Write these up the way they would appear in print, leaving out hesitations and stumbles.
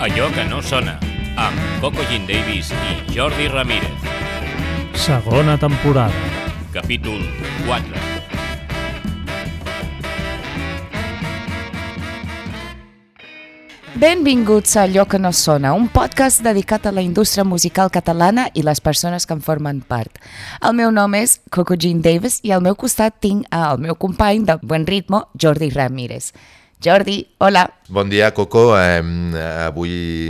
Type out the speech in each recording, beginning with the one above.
Allò que no sona, amb Coco Jean Davis i Jordi Ramírez. Segona temporada. Capítol 4. Benvinguts a Allò que no sona, un podcast dedicat a la indústria musical catalana i les persones que en formen part. El meu nom és Coco Jean Davis i al meu costat tinc el meu company de Buen Ritmo, Jordi Ramírez. Jordi, hola. Bon dia, Coco. Avui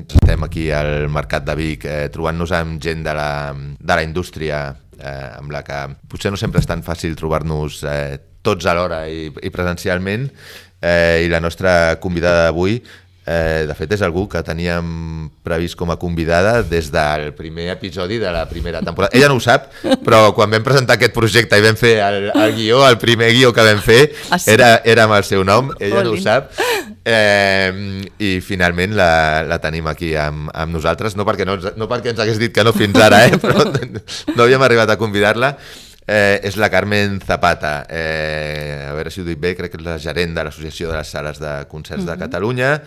estem aquí al Mercat de Vic trobant-nos amb gent de la indústria amb la que potser no sempre és tan fàcil trobar-nos tots alhora i presencialment. I la nostra convidada d'avui, de fet, és algú que teníem previst com a convidada des del primer episodi de la primera temporada. Ella no ho sap, però quan vam presentar aquest projecte i vam fer el guió, el primer guió que vam fer, era amb el seu nom, ella no ho sap. I finalment la tenim aquí amb nosaltres, no perquè ens hagués dit que no fins ara, però no havíem arribat a convidar-la. És la Carmen Zapata, a veure si ho dic bé, crec que és la gerent de l'Associació de les Sales de Concerts de Catalunya,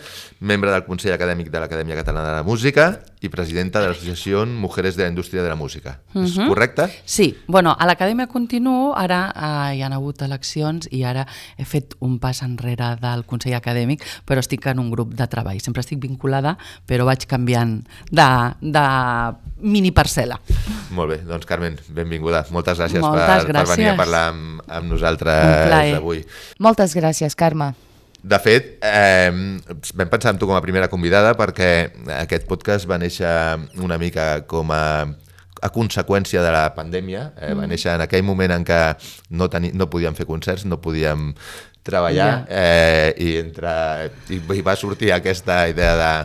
membre del Consell Acadèmic de l'Acadèmia Catalana de la Música i presidenta de l'Associació Mujeres de la Indústria de la Música. És correcte? Sí, bueno, a l'Acadèmia continuo, ara hi han hagut eleccions i ara he fet un pas enrere del Consell Acadèmic, però estic en un grup de treball. Sempre estic vinculada, però vaig canviant de mini parcel·la. Molt bé, doncs Carmen, benvinguda. Moltes gràcies per venir a parlar amb nosaltres avui. Moltes gràcies, Carme. De fet, vam pensar en tu com a primera convidada perquè aquest podcast va néixer una mica com a conseqüència de la pandèmia. Va néixer en aquell moment en què no podíem fer concerts, no podíem treballar, i va sortir aquesta idea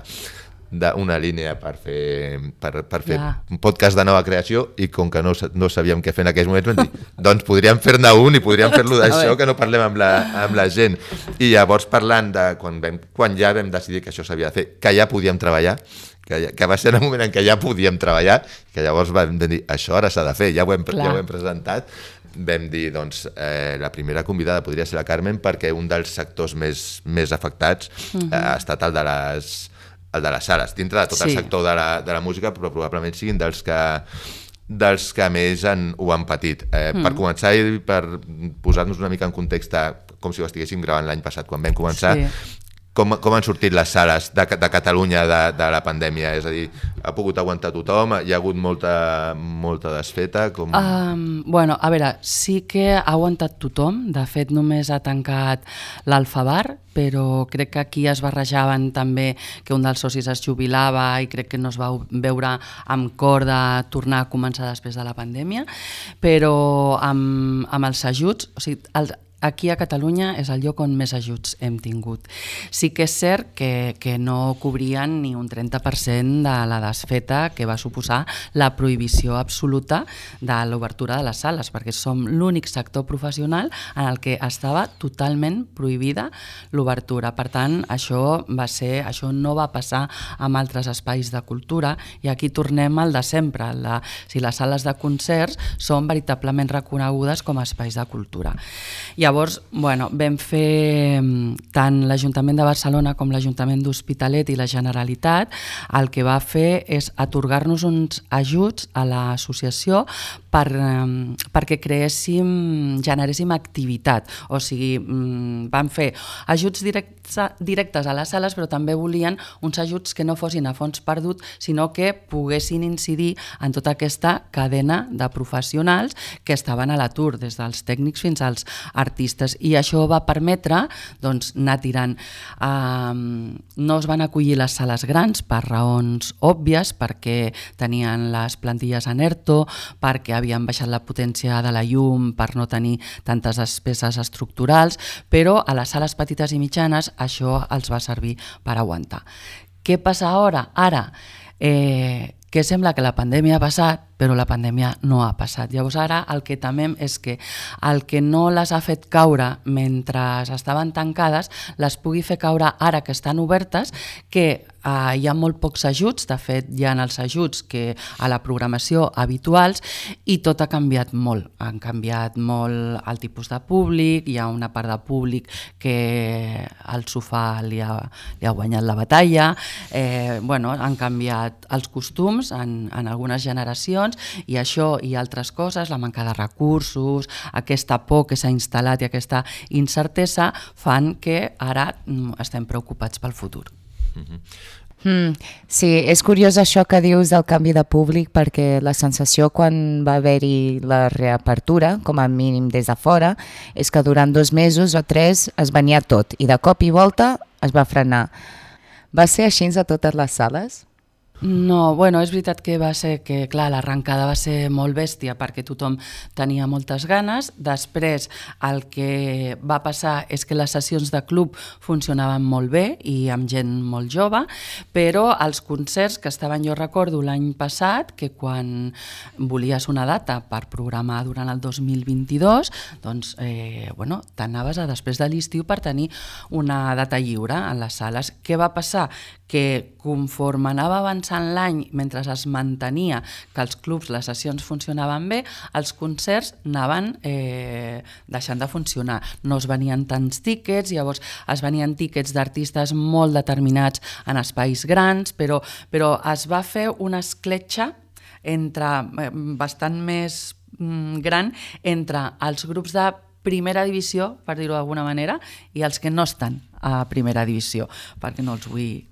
d'una línia per fer un podcast de nova creació, i com que no sabíem què fer en aquells moments vam dir, doncs podríem fer-ne un i podríem fer-lo d'això, que no parlem amb la gent. I llavors parlant de quan ja vam decidir que això s'havia de fer, que ja podíem treballar, que va ser en el moment en què ja podíem treballar, que llavors vam dir, això ara s'ha de fer, ja ho hem presentat. Vam dir, doncs, la primera convidada podria ser la Carmen, perquè un dels sectors més afectats ha estat el de les sales, dintre de tot el sector de la música, però probablement siguin dels que més ho han patit. Per començar i per posar-nos una mica en context, com si ho estiguéssim gravant l'any passat, quan vam començar, com han sortit les sales de Catalunya de la pandèmia? És a dir, ha pogut aguantar tothom? Hi ha hagut molta desfeta? Bueno, a veure, sí que ha aguantat tothom. De fet, només ha tancat l'Alfabar, però crec que aquí es barrejaven també que un dels socis es jubilava i crec que no es va veure amb cor de tornar a començar després de la pandèmia, però amb els ajuts, o sigui, aquí a Catalunya és el lloc on més ajuts hem tingut. Sí que és cert que no cobrien ni un 30% de la desfeta que va suposar la prohibició absoluta de l'obertura de les sales, perquè som l'únic sector professional en el que estava totalment prohibida l'obertura. Per tant, això no va passar amb altres espais de cultura, i aquí tornem al de sempre. Si les sales de concerts són veritablement reconegudes com a espais de cultura. Llavors, vam fer tant l'Ajuntament de Barcelona com l'Ajuntament d'Hospitalet i la Generalitat, el que va fer és atorgar-nos uns ajuts a l'associació perquè generéssim activitat. O sigui, van fer ajuts directes a les sales, però també volien uns ajuts que no fossin a fons perdut, sinó que poguessin incidir en tota aquesta cadena de professionals que estaven a l'atur, des dels tècnics fins als artistes, i això va permetre anar tirant. No es van acollir les sales grans per raons òbvies, perquè tenien les plantilles en ERTO, perquè havien baixat la potència de la llum per no tenir tantes despeses estructurals, però a les sales petites i mitjanes això els va servir per aguantar. Què passa ara? Que sembla que la pandèmia ha passat, però la pandèmia no ha passat. Llavors ara el que temem és que el que no les ha fet caure mentre estaven tancades les pugui fer caure ara que estan obertes, que hi ha molt pocs ajuts, de fet hi ha els ajuts que a la programació habituals i tot ha canviat molt. Han canviat molt el tipus de públic, hi ha una part de públic que el sofà li ha guanyat la batalla, han canviat els costums en algunes generacions i això i altres coses, la manca de recursos, aquesta por que s'ha instal·lat i aquesta incertesa fan que ara estem preocupats pel futur. Sí, és curiós això que dius del canvi de públic perquè la sensació quan va haver-hi la reapertura, com a mínim des de fora, és que durant 2 mesos o 3 es venia tot i de cop i volta es va frenar. Va ser així a totes les sales? No, és veritat que va ser que, clar, l'arrencada va ser molt bèstia perquè tothom tenia moltes ganes. Després el que va passar és que les sessions de club funcionaven molt bé i amb gent molt jove, però els concerts que estaven, jo recordo l'any passat, que quan volies una data per programar durant el 2022, doncs, t'anaves a després de l'estiu per tenir una data lliure en les sales. Què va passar? Que conforme anava avançant l'any, mentre es mantenia que els clubs, les sessions funcionaven bé, els concerts anaven deixant de funcionar. No es venien tants tíquets, llavors es venien tíquets d'artistes molt determinats en espais grans, però es va fer una escletxa bastant més gran entre els grups de primera divisió, per dir-ho d'alguna manera, i els que no estan a primera divisió, perquè no els vull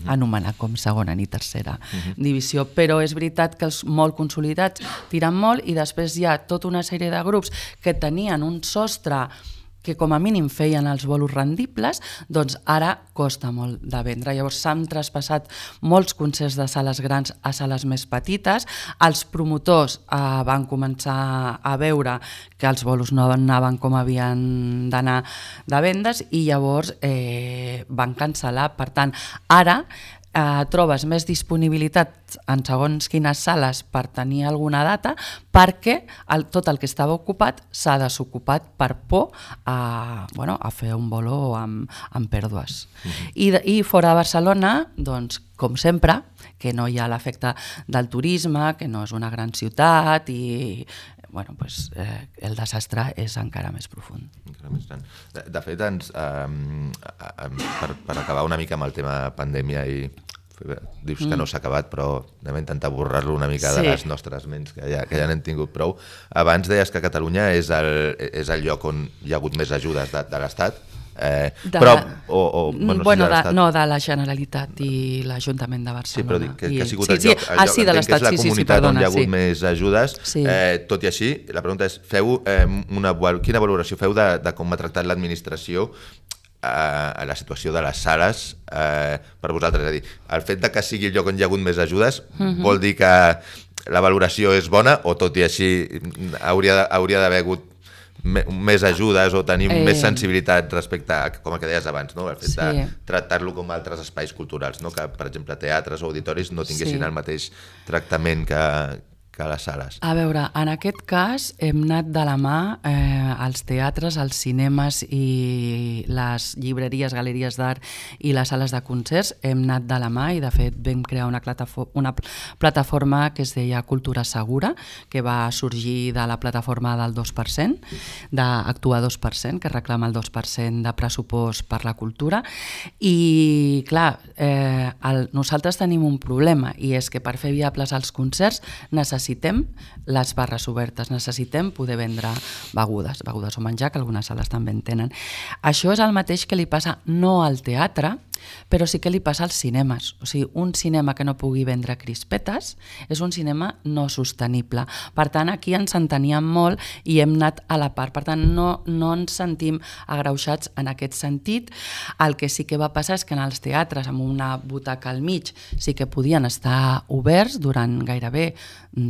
anomenar com segona ni tercera divisió, però és veritat que els molt consolidats tiren molt i després hi ha tota una sèrie de grups que tenien un sostre que com a mínim feien els bolos rendibles, doncs ara costa molt de vendre. Llavors s'han traspassat molts concerts de sales grans a sales més petites, els promotors van començar a veure que els bolos no anaven com havien d'anar de vendes i llavors van cancel·lar. Per tant, ara trobes més disponibilitat en segons quines sales per tenir alguna data perquè tot el que estava ocupat s'ha desocupat per por a fer un bolo amb pèrdues. I fora de Barcelona, doncs, com sempre, que no hi ha l'efecte del turisme, que no és una gran ciutat i el desastre és encara més profund. De fet, per acabar una mica amb el tema pandèmia, i dius que no s'ha acabat, però anem a intentar borrar-lo una mica de les nostres ments, que ja n'hem tingut prou. Abans deies que Catalunya és el lloc on hi ha hagut més ajudes de l'Estat, de la Generalitat i l'Ajuntament de Barcelona. Sí, però dic que ha sigut el lloc, que és la comunitat on hi ha hagut més ajudes. Tot i així, la pregunta és, quina valoració feu de com ha tractat l'administració a la situació de les sales per vosaltres? És a dir, el fet de que sigui el lloc on hi ha hagut més ajudes vol dir que la valoració és bona o tot i així hauria d'haver hagut més ajudes o tenir més sensibilitat respecte a, com que deies abans, el fet de tractar-lo com altres espais culturals, que per exemple teatres o auditoris no tinguessin el mateix tractament que les sales. A veure, en aquest cas hem anat de la mà als teatres, als cinemes i les llibreries, galeries d'art i les sales de concerts, hem anat de la mà i de fet vam crear una plataforma que es deia Cultura Segura, que va sorgir de la plataforma del 2%, d'Actua 2%, que reclama el 2% de pressupost per la cultura i clar, nosaltres tenim un problema i és que per fer viables els concerts necessitem les barres obertes, necessitem poder vendre begudes o menjar, que algunes sales també en tenen. Això és el mateix que li passa no al teatre, però sí que li passa als cinemes. O sigui, un cinema que no pugui vendre crispetes és un cinema no sostenible. Per tant, aquí ens enteníem molt i hem anat a la part. Per tant, no ens sentim agreuixats en aquest sentit. El que sí que va passar és que en els teatres, amb una butaca al mig, sí que podien estar oberts durant gairebé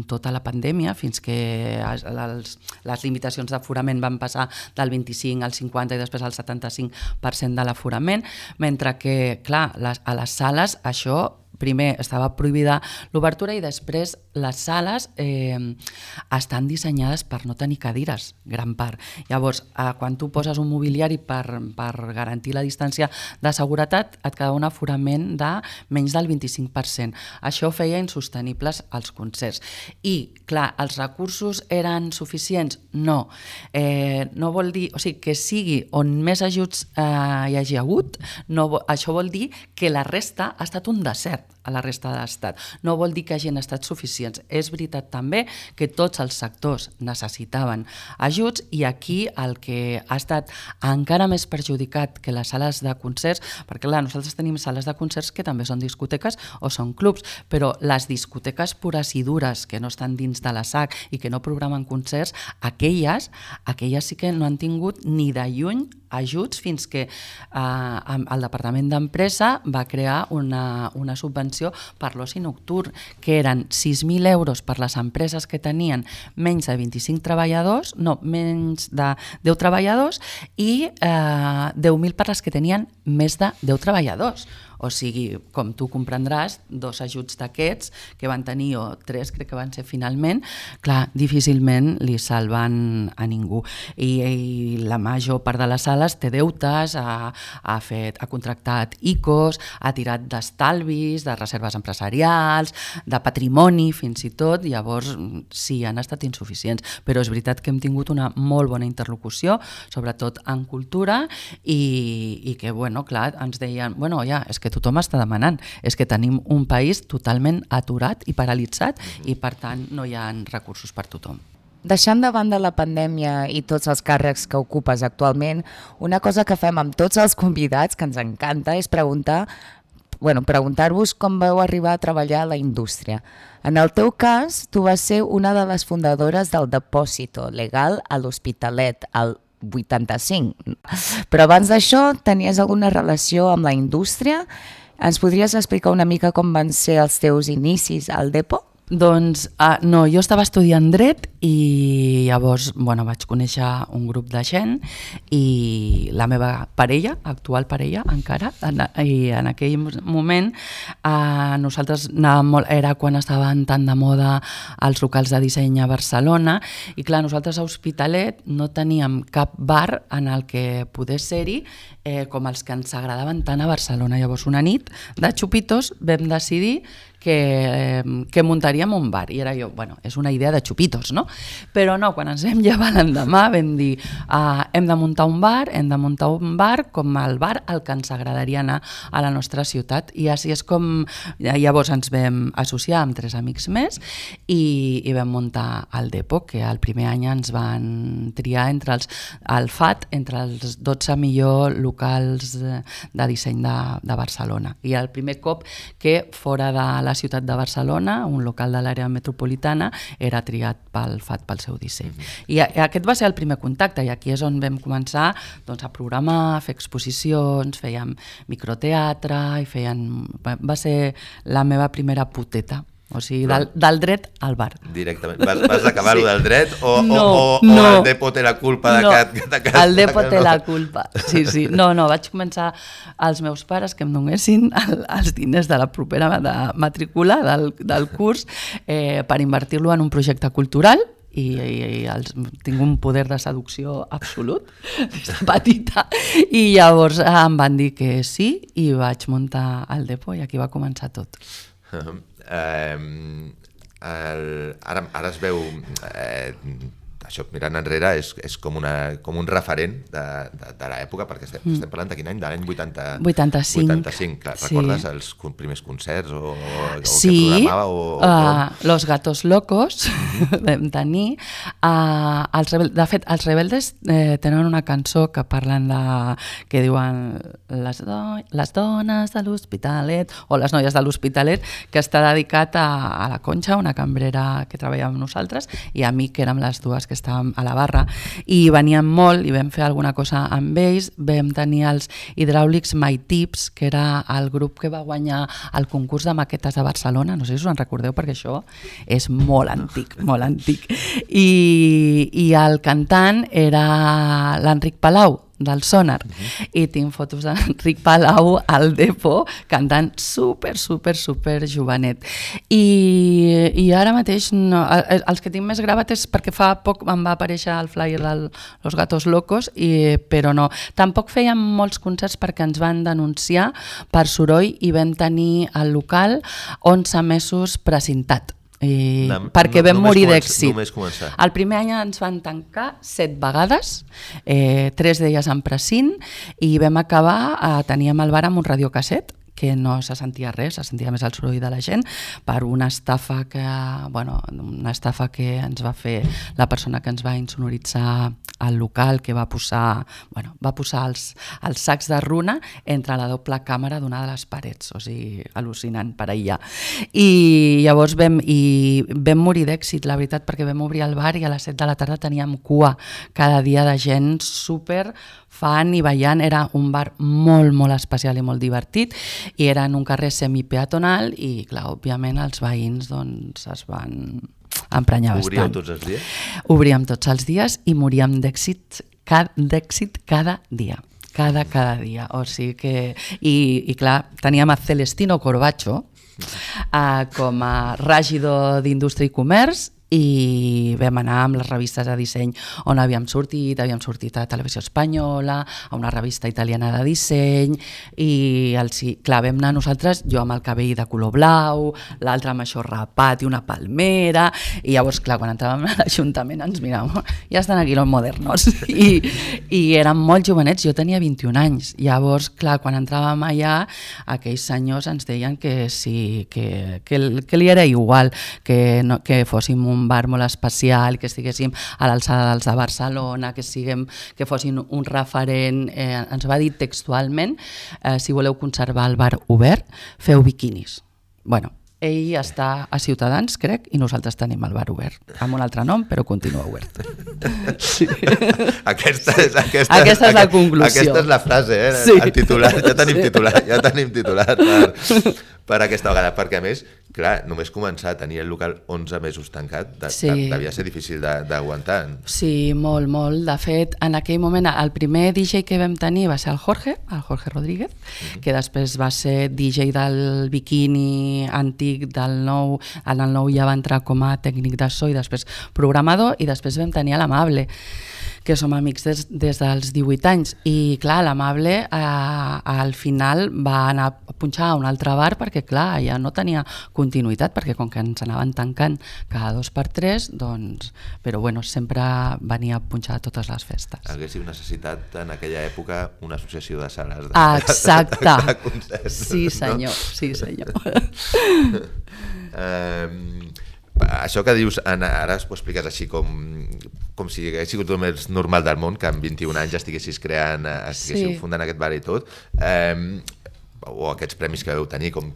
tota la pandèmia, fins que les limitacions d'aforament van passar del 25 al 50 i després al 75% de l'aforament, mentre que, clar, a les sales això primer estava prohibida l'obertura i després les sales estan dissenyades per no tenir cadires, gran part. Llavors, quan tu poses un mobiliari per garantir la distància de seguretat, et queda un aforament de menys del 25%. Això feia insostenibles els concerts. I, clar, els recursos eren suficients? No. No vol dir, o sigui, que sigui on més ajuts hi hagi hagut, això vol dir que la resta ha estat un desert a la resta de l'Estat. No vol dir que hagin estat suficients. És veritat també que tots els sectors necessitaven ajuts i aquí el que ha estat encara més perjudicat que les sales de concerts, perquè clar, nosaltres tenim sales de concerts que també són discoteques o són clubs, però les discoteques pures i dures que no estan dins de la SAC i que no programen concerts, aquelles sí que no han tingut ni de lluny ajuts fins que el Departament d'Empresa va crear una subvenció per l'oci nocturn, que eren 6.000 euros per les empreses que tenien menys de 25 treballadors, no, menys de 10 treballadors i 10.000 per les que tenien més de 10 treballadors. O sigui, com tu comprendràs, 2 ajuts d'aquests que van tenir, o 3 crec que van ser finalment, clar, difícilment li salven a ningú. I la major part de les sales té deutes, ha contractat ICOs, ha tirat d'estalvis, de reserves empresarials, de patrimoni fins i tot, llavors sí, han estat insuficients. Però és veritat que hem tingut una molt bona interlocució, sobretot en cultura, i que, bueno, clar, ens deien, bueno, ja, és que tothom està demanant, és que tenim un país totalment aturat i paralitzat i per tant no hi ha recursos per tothom. Deixant de banda la pandèmia i tots els càrrecs que ocupes actualment, una cosa que fem amb tots els convidats, que ens encanta, és preguntar-vos com vau arribar a treballar a la indústria. En el teu cas, tu vas ser una de les fundadores del Depósito Legal a l'Hospitalet, al 85. Però abans d'això, tenies alguna relació amb la indústria? Ens podries explicar una mica com van ser els teus inicis al Depo? Doncs no, jo estava estudiant dret i llavors vaig conèixer un grup de gent i la meva parella, actual parella encara, i en aquell moment nosaltres anàvem molt, era quan estaven tan de moda els locals de disseny a Barcelona i clar, nosaltres a Hospitalet no teníem cap bar en el que poder ser-hi com els que ens agradaven tant a Barcelona. Llavors una nit de xupitos vam decidir que muntaríem un bar i era jo, és una idea de xupitos, no? Però no, quan ens vam llevar l'endemà vam dir hem de muntar un bar com el bar al que ens agradaria anar a la nostra ciutat i així és com llavors ens vam associar amb 3 amics més i vam muntar el Depo, que el primer any ens van triar entre el FAT, entre els 12 millors locals de disseny de Barcelona i el primer cop que fora de la ciutat de Barcelona, un local de l'àrea metropolitana, era triat pel FAT pel seu disseny. I aquest va ser el primer contacte i aquí és on vam començar a programar, a fer exposicions, fèiem microteatre i va ser la meva primera puteta. O sigui, del dret al bar. Directament. Vas acabar-ho del dret o el Depo té la culpa de que... El Depo té la culpa, sí. No, vaig començar als meus pares que em donessin els diners de la propera matrícula del curs per invertir-lo en un projecte cultural i tinc un poder de seducció absolut des de petita i llavors em van dir que sí i vaig muntar el Depo i aquí va començar tot. Ara es veu això, mirant enrere, és com un referent de l'època, perquè estem parlant de quin any? De l'any 85. Clar, recordes els primers concerts o què programava? Los Gatos Locos vam tenir. De fet, els Rebeldes tenen una cançó que parlen que diuen les dones de l'Hospitalet o les noies de l'Hospitalet, que està dedicat a la Conxa, una cambrera que treballava amb nosaltres, i a mi, que érem les dues que estàvem a la barra, i veníem molt i vam fer alguna cosa amb ells. Vam tenir els Hidràulics My Tips, que era el grup que va guanyar el concurs de maquetes de Barcelona, no sé si us en recordeu perquè això és molt antic, i el cantant era l'Enric Palau, del Sonar, i tinc fotos d'Enric Palau al Depo cantant super jovenet. I ara mateix, no, els que tinc més gravat és perquè fa poc em va aparèixer el flyer de Los Gatos Locos, però no. Tampoc fèiem molts concerts perquè ens van denunciar per soroll i vam tenir el local 11 mesos precintat. Perquè vam morir d'èxit. El primer any ens van tancar 7 vegades, 3 d'elles en precint, i vam acabar, teníem el bar amb un radiocasset, que no se sentia res, se sentia més el soroll de la gent, per una estafa que ens va fer la persona que ens va insonoritzar al local, que va posar els sacs de runa entre la doble càmera d'una de les parets, o sigui, al·lucinant per aïllar. I llavors vam morir d'èxit, la veritat, perquè vam obrir el bar i a les 7 de la tarda teníem cua cada dia de gent super fan i ballant. Era un bar molt especial i molt divertit, i era en un carrer semipeatonal i, clar, òbviament els veïns doncs, es van emprenyar bastant. Obríeu tots els dies? Obríem tots els dies i moríem d'èxit cada dia. Cada dia. O sigui que... I clar, teníem a Celestino Corbacho com a règidor d'Indústria i Comerç, i vam anar amb les revistes de disseny on havíem sortit a Televisió Espanyola, a una revista italiana de disseny, i clar, vam anar nosaltres, jo amb el cabell de color blau, l'altre amb això rapat i una palmera, i llavors, clar, quan entràvem a l'Ajuntament ens miràvem, ja estan aquí los modernos, i érem molt jovenets, jo tenia 21 anys, llavors, clar, quan entràvem allà, aquells senyors ens deien que sí, que li era igual, que fóssim un bar molt especial, que estiguéssim a l'alçada dels de Barcelona, que fossin un referent. Ens va dir textualment, si voleu conservar el bar obert, feu biquinis. Bueno, ell està a Ciutadans, crec, i nosaltres tenim el bar obert, amb un altre nom, però continua obert. Sí. Aquesta és la conclusió. Aquesta és la frase, Sí. El titular. Ja tenim titular per aquesta vegada, perquè a més, clar, només començar a tenir el local 11 mesos tancat devia ser difícil d'aguantar. Sí, molt. De fet, en aquell moment, el primer DJ que vam tenir va ser el Jorge Rodríguez, que després va ser DJ del Bikini antic del Nou. En el Nou ja va entrar com a tècnic de so i després programador, i després vam tenir l'Amable, que som amics des dels 18 anys, i clar, l'Amable al final va anar a punxar a un altre bar perquè clar, ja no tenia continuïtat, perquè com que ens anaven tancant cada 2x3, doncs, però bueno, sempre venia a punxar a totes les festes. Haguéssiu necessitat en aquella època una associació de sales Exacte. de concerts. Sí senyor, no? Sí senyor. Això que dius, Anna, ara ho expliques així com si hagués sigut el més normal del món, que amb 21 anys estiguessis fundant aquest bar i tot, o aquests premis que vau tenir, com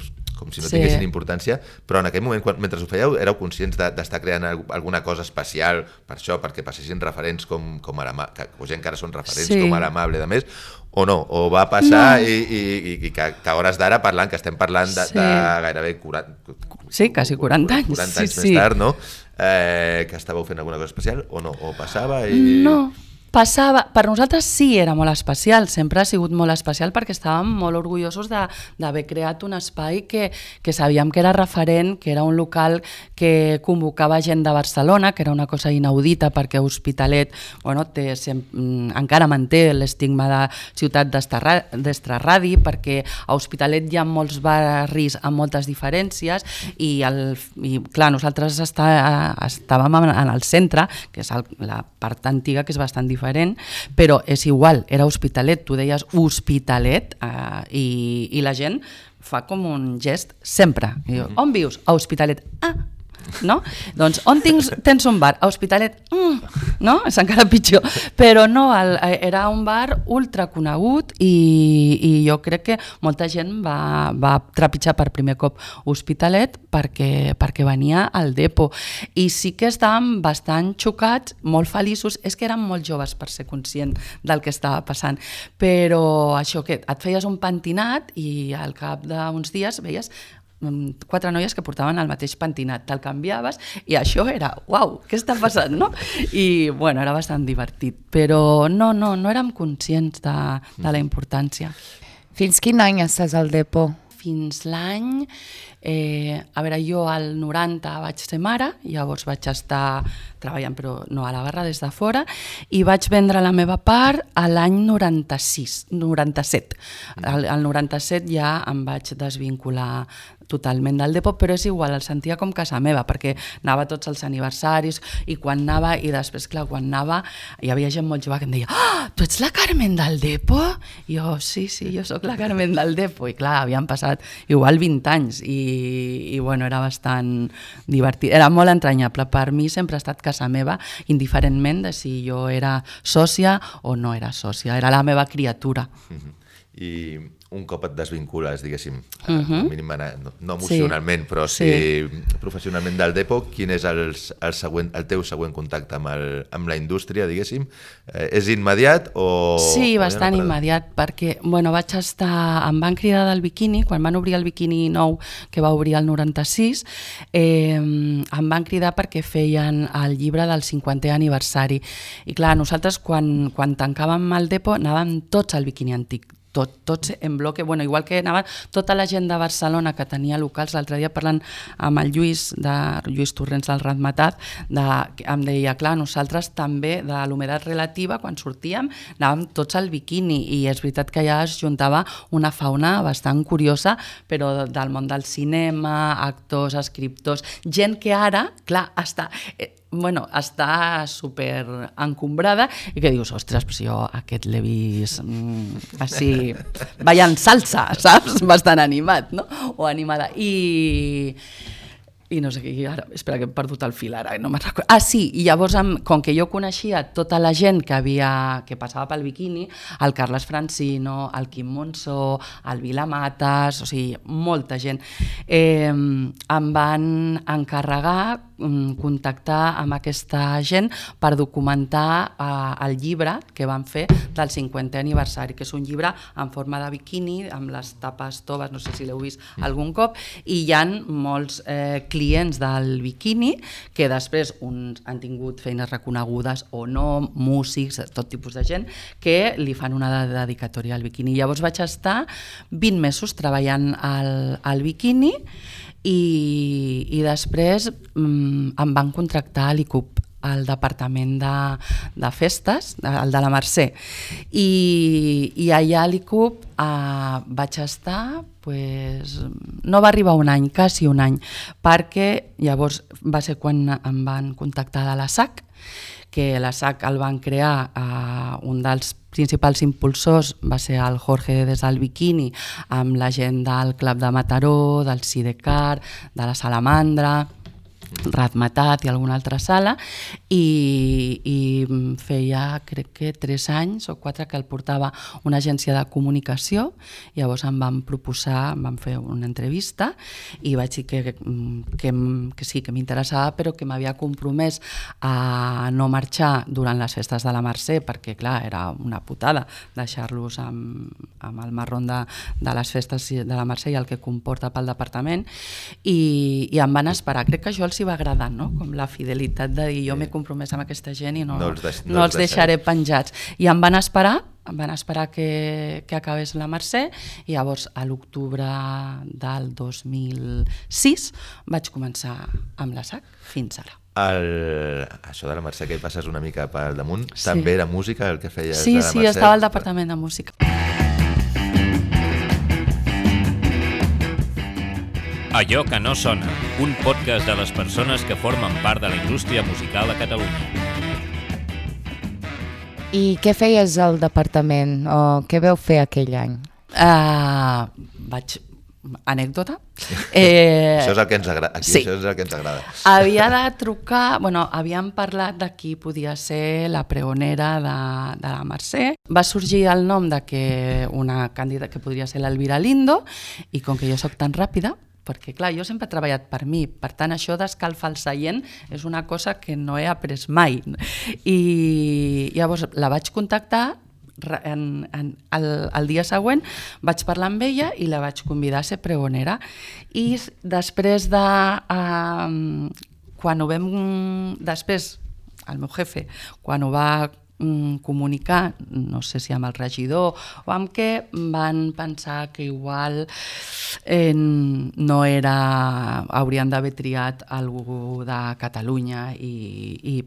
si no tinguessin importància, però en aquell moment, mentre ho fèieu, éreu conscients d'estar creant alguna cosa especial per això, perquè passessin referents com o gent que ara són referents com a l'Amable de més, o no? O va passar i que a hores d'ara parlant, que estem parlant de gairebé 40... Sí, quasi 40 anys. 40 anys més tard, no? Que estàveu fent alguna cosa especial, o no? O passava i... No, passava. Per nosaltres sí era molt especial, sempre ha sigut molt especial perquè estàvem molt orgullosos d'haver creat un espai que sabíem que era referent, que era un local que convocava gent de Barcelona, que era una cosa inaudita perquè Hospitalet encara manté l'estigma de ciutat d'extraradi, perquè a Hospitalet hi ha molts barris amb moltes diferències i clar, nosaltres estàvem en el centre, que és la part antiga, que és bastant diferent, però és igual, era Hospitalet, tu deies Hospitalet i la gent fa com un gest sempre. On vius? A Hospitalet. No? Doncs on tens un bar? A Hospitalet. No? És encara pitjor. Però no, era un bar ultra conegut i jo crec que molta gent va trepitjar per primer cop Hospitalet perquè venia al Depo. I sí que estàvem bastant xocats, molt feliços, és que érem molt joves per ser conscient del que estava passant, però això que et feies un pentinat i al cap d'uns dies veies 4 noies que portaven el mateix pentinat, te'l canviaves i això era, uau, què està passant, no? I bueno, era bastant divertit, però no érem conscients de la importància. Fins quin any estàs al Depo? Fins l'any, a veure, jo al 90 vaig ser mare, llavors vaig estar treballant, però no a la barra, des de fora, i vaig vendre la meva part a l'any 97. Al 97 ja em vaig desvincular totalment del Depo, però és igual, el sentia com casa meva, perquè anava a tots els aniversaris i quan anava, i després, clar, quan anava, hi havia gent molt jove que em deia tu ets la Carmen del Depo? I jo, sí, jo sóc la Carmen del Depo, i clar, havien passat igual 20 anys i bueno, era bastant divertit, era molt entranyable, per mi sempre ha estat casa meva, indiferentment de si jo era sòcia o no era sòcia, era la meva criatura. I un cop et desvincules, diguéssim, mínim, no emocionalment, però sí professionalment del Depo, quin és el teu següent contacte amb la indústria, diguéssim? És immediat o... Sí, bastant immediat, perquè vaig estar... Em van cridar del Bikini, quan van obrir el Bikini nou, que va obrir el 96, em van cridar perquè feien el llibre del 50è aniversari. I clar, nosaltres quan tancàvem el Depo anàvem tots al Bikini antic, tots en bloque, igual que anava tota la gent de Barcelona que tenia locals, l'altre dia parlant amb el Lluís Torrents del Ratmatat, em deia, clar, nosaltres també de l'humedat relativa, quan sortíem, anàvem tots al Bikini, i és veritat que ja es juntava una fauna bastant curiosa, però del món del cinema, actors, escriptors, gent que ara, clar, està super encombrada i que dius, ostres, però si jo aquest l'he vist així, ballant salsa, saps? Bastant animat, no? O animada. I no sé què, ara, espera que he perdut el fil ara, no me'n recordo. Sí, i llavors, com que jo coneixia tota la gent que passava pel Bikini, el Carles Francino, el Quim Monzó, el Vila Matas, o sigui, molta gent, em van encarregar contactar amb aquesta gent per documentar el llibre que van fer del 50è aniversari, que és un llibre en forma de bikini, amb les tapes toves, no sé si l'heu vist algun cop, i hi ha molts clients del bikini que després uns han tingut feines reconegudes o no, músics, tot tipus de gent, que li fan una dedicatòria al bikini. Llavors vaig estar 20 mesos treballant al bikini i després em van contractar a l'ICUP, al departament de festes, el de la Mercè. I allà a l'ICUP vaig estar, no va arribar un any, quasi un any, perquè llavors va ser quan em van contactar de la SAC, que la SAC el van crear, un dels principals impulsors va ser el Jorge des del Bikini, amb la gent del Club de Mataró, del Sidecar, de la Salamandra, Ratmatat i alguna altra sala, i feia, crec que 3 anys o 4 que el portava una agència de comunicació. Llavors em van proposar, em van fer una entrevista i vaig dir que sí, que m'interessava, però que m'havia compromès a no marxar durant les festes de la Mercè, perquè clar, era una putada deixar-los amb el marrón de les festes de la Mercè i el que comporta pel departament, i em van esperar. Crec que això els hi va agradar, no? Com la fidelitat de dir, jo m'he compromès amb aquesta gent i no els deixaré penjats. I em van esperar que acabés la Mercè, i llavors a l'octubre del 2006 vaig començar amb la SAC fins ara. Això de la Mercè que hi passes una mica pel damunt, també era música el que feies de la Mercè? Sí, estava al departament de música. Allò que no sona, un podcast de les persones que formen part de la indústria musical a Catalunya. I què feies al departament, o què veu fer aquell any? Anècdota? Això és el que ens agrada. Sí. Això és el que ens agrada. Havia de trucar, havíem parlat de qui podia ser la pregonera de la Mercè. Va sorgir el nom de que una candidata que podria ser l'Elvira Lindo, i com que jo sóc tan ràpida, perquè clar, jo sempre he treballat per mi, per tant això d'escalfar el seient és una cosa que no he après mai. I llavors la vaig contactar, el dia següent vaig parlar amb ella i la vaig convidar a ser pregonera. I després de... quan ho vam... Després, el meu jefe, quan ho va comunicar, no sé si amb el regidor o amb què, van pensar que igual no era... haurien d'haver triat algú de Catalunya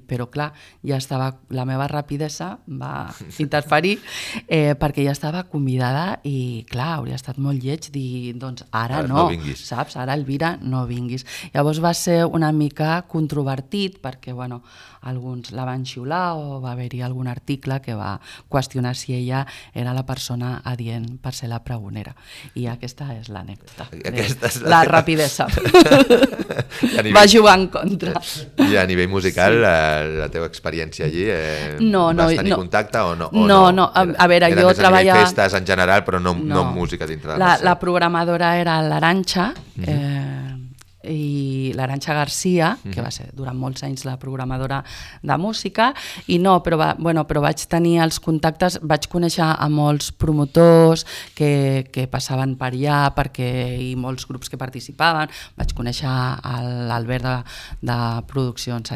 però clar, ja estava... la meva rapidesa va interferir perquè ja estava convidada i clar, hauria estat molt lleig dir, doncs ara no saps? Ara, Elvira, no vinguis. Llavors va ser una mica controvertit perquè, bueno, alguns la van xiular o va haver-hi algun article que va qüestionar si ella era la persona adient per ser la pregonera. I aquesta és l'anècdota. La rapidesa. Va jugar en contra. I a nivell musical, la teva experiència allí, vas tenir contacte o no? No, a veure, jo treballava... Era més festes en general, però no música dintre de la programadora era l'Arantxa, i l'Arantxa Garcia, que va ser durant molts anys la programadora de música, i no, però vaig tenir els contactes, vaig conèixer a molts promotors que passaven per allà i molts grups que participaven, vaig conèixer l'Albert de Produccions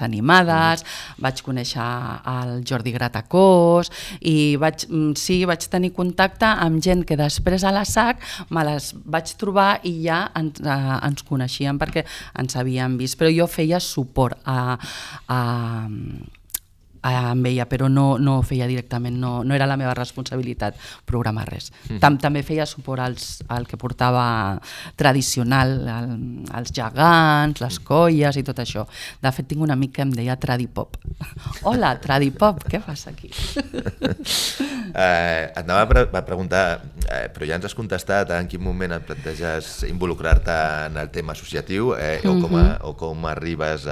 Animades, vaig conèixer el Jordi Gratacós i vaig tenir contacte amb gent que després a la SAC me les vaig trobar i ja ens coneixíem perquè ens havíem vist, però jo feia suport amb ella, però no ho feia directament, no era la meva responsabilitat programar res. També feia suport al que portava tradicional, els gegants, les colles i tot això. De fet, tinc un amic que em deia Tradipop. Hola, Tradipop, què fas aquí? Et anava a preguntar, però ja ens has contestat en quin moment et planteges involucrar-te en el tema associatiu o com arribes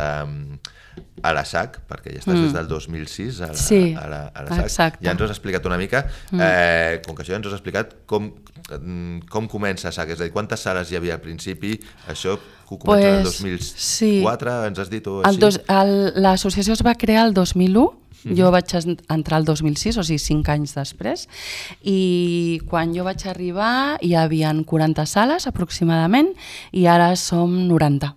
a la SAC, perquè ja estàs des del 2006 a la SAC. Exacte. Ja ens ho has explicat una mica. Com que això ja ens ho has explicat, com comença SAC? És a dir, quantes sales hi havia al principi? Això ho comença el 2004, ens has dit? L'associació es va crear el 2001, jo vaig entrar el 2006, o sigui 5 anys després, i quan jo vaig arribar hi havia 40 sales aproximadament i ara som 90.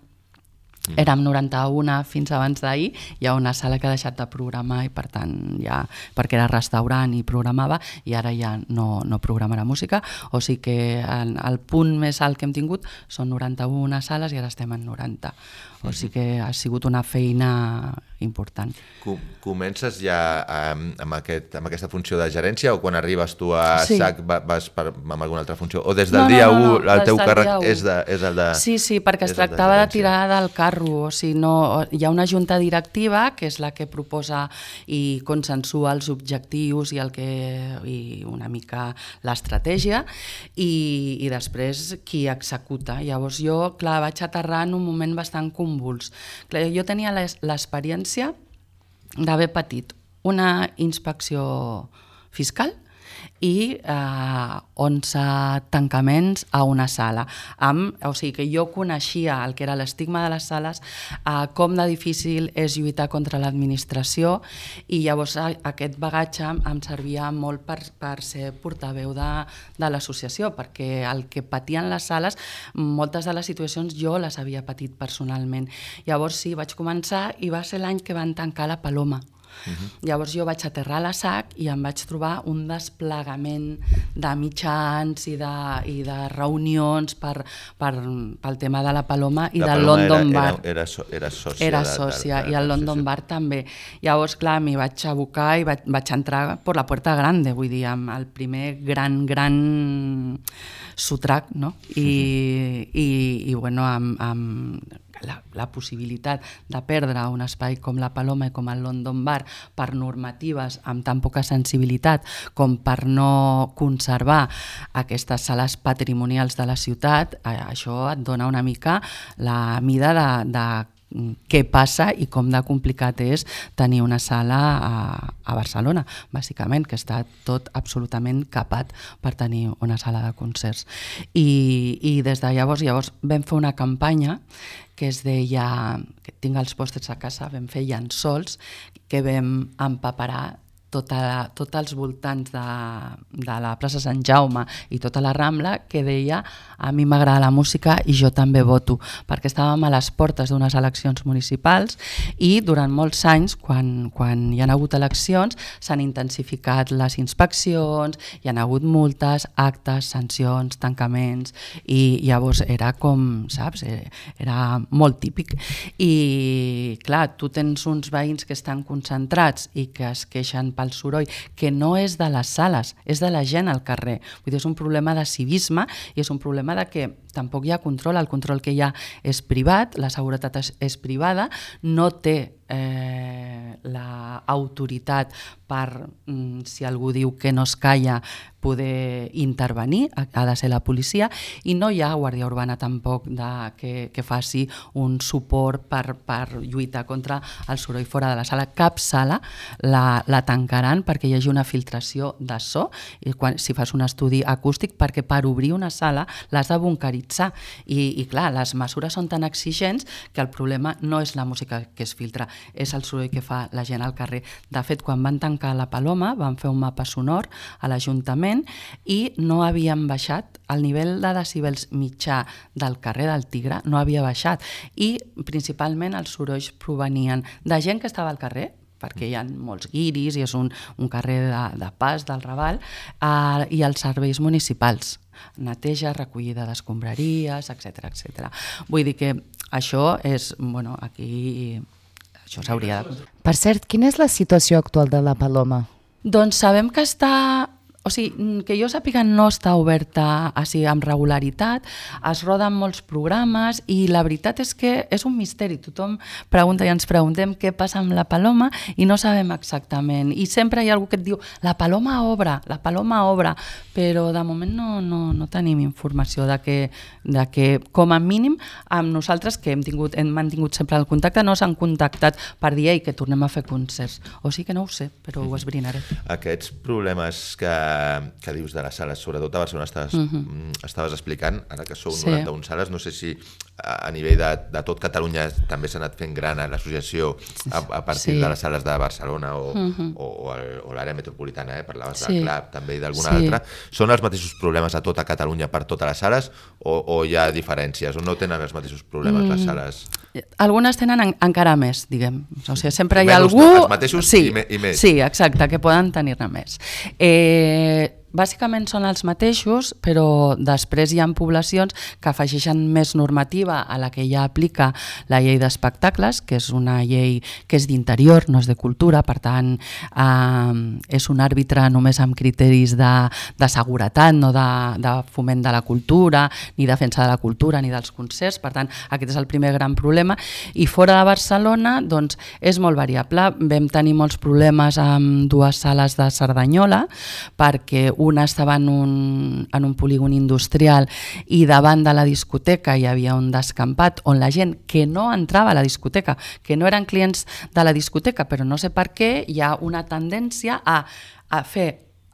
Érem 91 fins abans d'ahir, hi ha una sala que ha deixat de programar i per tant ja, perquè era restaurant i programava, i ara ja no programarà música, o sigui que el punt més alt que hem tingut són 91 sales i ara estem en 90, o sigui que ha sigut una feina important. Comences ja amb aquesta funció de gerència o quan arribes tu a SAC vas amb alguna altra funció? O des del dia 1 el teu càrrec és el de... Sí, perquè es tractava de tirar del carro, o sigui, hi ha una junta directiva que és la que proposa i consensua els objectius i una mica l'estratègia i després qui executa. Llavors jo, clar, vaig aterrar en un moment bastant convuls. Jo tenia l'experiència d'haver patit una inspecció fiscal i 11 tancaments a una sala. O sigui que jo coneixia el que era l'estigma de les sales, com de difícil és lluitar contra l'administració, i llavors aquest bagatge em servia molt per ser portaveu de l'associació, perquè el que patien les sales, moltes de les situacions jo les havia patit personalment. Llavors sí, vaig començar i va ser l'any que van tancar la Paloma. Llavors jo vaig aterrar a la SAC i em vaig trobar un desplegament de mitjans i de reunions pel tema de la Paloma i del London Bar. Era sòcia. Era sòcia i el London Bar també. Llavors, clar, m'hi vaig abocar i vaig entrar per la puerta grande, vull dir, amb el primer gran sotrac, no? I bueno, amb la possibilitat de perdre un espai com la Paloma i com el London Bar per normatives amb tan poca sensibilitat com per no conservar aquestes sales patrimonials de la ciutat, això et dona una mica la mida de què passa i com de complicat és tenir una sala a Barcelona, bàsicament, que està tot absolutament capat per tenir una sala de concerts. I des de llavors vam fer una campanya que es deia, que tinc els pòsters a casa, vam fer llençols que vam empaperar tots els voltants de la plaça Sant Jaume i tota la Rambla, que deia a mi m'agrada la música i jo també voto, perquè estàvem a les portes d'unes eleccions municipals i durant molts anys, quan hi ha hagut eleccions, s'han intensificat les inspeccions, hi ha hagut multes, actes, sancions, tancaments, i llavors era com, saps, era molt típic. I clar, tu tens uns veïns que estan concentrats i que es queixen pel soroll, que no és de les sales, és de la gent al carrer. Vull dir, és un problema de civisme i és un problema de que tampoc hi ha control, el control que hi ha és privat, la seguretat és privada, no té l'autoritat per, si algú diu que no es calla, poder intervenir, ha de ser la policia, i no hi ha guàrdia urbana tampoc que faci un suport per lluitar contra el soroll fora de la sala. Cap sala la tancaran perquè hi hagi una filtració de so, i si fas un estudi acústic, perquè per obrir una sala l'has de bunkeritzar, i clar, les mesures són tan exigents que el problema no és la música que es filtra, és el soroll que fa la gent al carrer. De fet, quan van tancar la Paloma, van fer un mapa sonor a l'Ajuntament i no havien baixat, el nivell de decibels mitjà del carrer del Tigre no havia baixat, i principalment els sorolls provenien de gent que estava al carrer, perquè hi ha molts guiris i és un carrer de pas del Raval, i els serveis municipals, neteja, recollida d'escombraries, etc. Vull dir que això és, bueno, aquí això s'hauria de... Per cert, quina és la situació actual de la Paloma? Doncs sabem que està... O sigui, que jo sàpiga no està oberta així amb regularitat, es roden molts programes i la veritat és que és un misteri. Tothom pregunta i ens preguntem què passa amb la Paloma i no sabem exactament. I sempre hi ha algú que et diu la Paloma obre, però de moment no tenim informació de que com a mínim amb nosaltres, que hem mantingut sempre el contacte, no s'han contactat per dir que tornem a fer concerts. O sigui que no ho sé, però ho esbrinaré. Aquests problemes que dius de les sales, sobretot a Barcelona estaves explicant, ara que sou 91 sales, no sé si a nivell de tot Catalunya també s'ha anat fent gran l'associació a partir de les sales de Barcelona o l'àrea metropolitana, parlaves del CLAP també i d'alguna altra. Són els mateixos problemes a tota Catalunya per totes les sales o hi ha diferències o no tenen els mateixos problemes les sales? Algunes tenen encara més, diguem. O sigui, sempre hi ha algú... Els mateixos i més. Sí, exacte, que poden tenir-ne més. Bàsicament són els mateixos, però després hi ha poblacions que afegeixen més normativa a la que ja aplica la llei d'espectacles, que és una llei que és d'interior, no és de cultura, per tant és un àrbitre només amb criteris de seguretat, no de foment de la cultura, ni defensa de la cultura, ni dels concerts, per tant aquest és el primer gran problema. I fora de Barcelona doncs és molt variable. Vam tenir molts problemes amb dues sales de Cerdanyola, perquè una estava en un polígon industrial i davant de la discoteca hi havia un descampat on la gent que no entrava a la discoteca, que no eren clients de la discoteca, però no sé per què hi ha una tendència a fer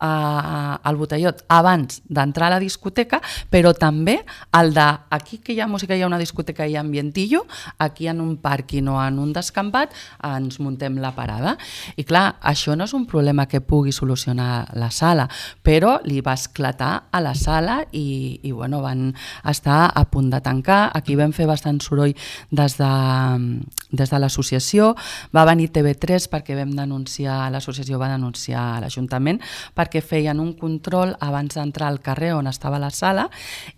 el botellot abans d'entrar a la discoteca, però també el de aquí que hi ha música, hi ha una discoteca i hi ha ambientillo, aquí en un pàrquing o en un descampat ens muntem la parada. I clar, això no és un problema que pugui solucionar la sala, però li va esclatar a la sala i bueno, van estar a punt de tancar. Aquí vam fer bastant soroll des de l'associació, va venir TV3 perquè vam denunciar, l'associació va denunciar a l'Ajuntament perquè feien un control abans d'entrar al carrer on estava la sala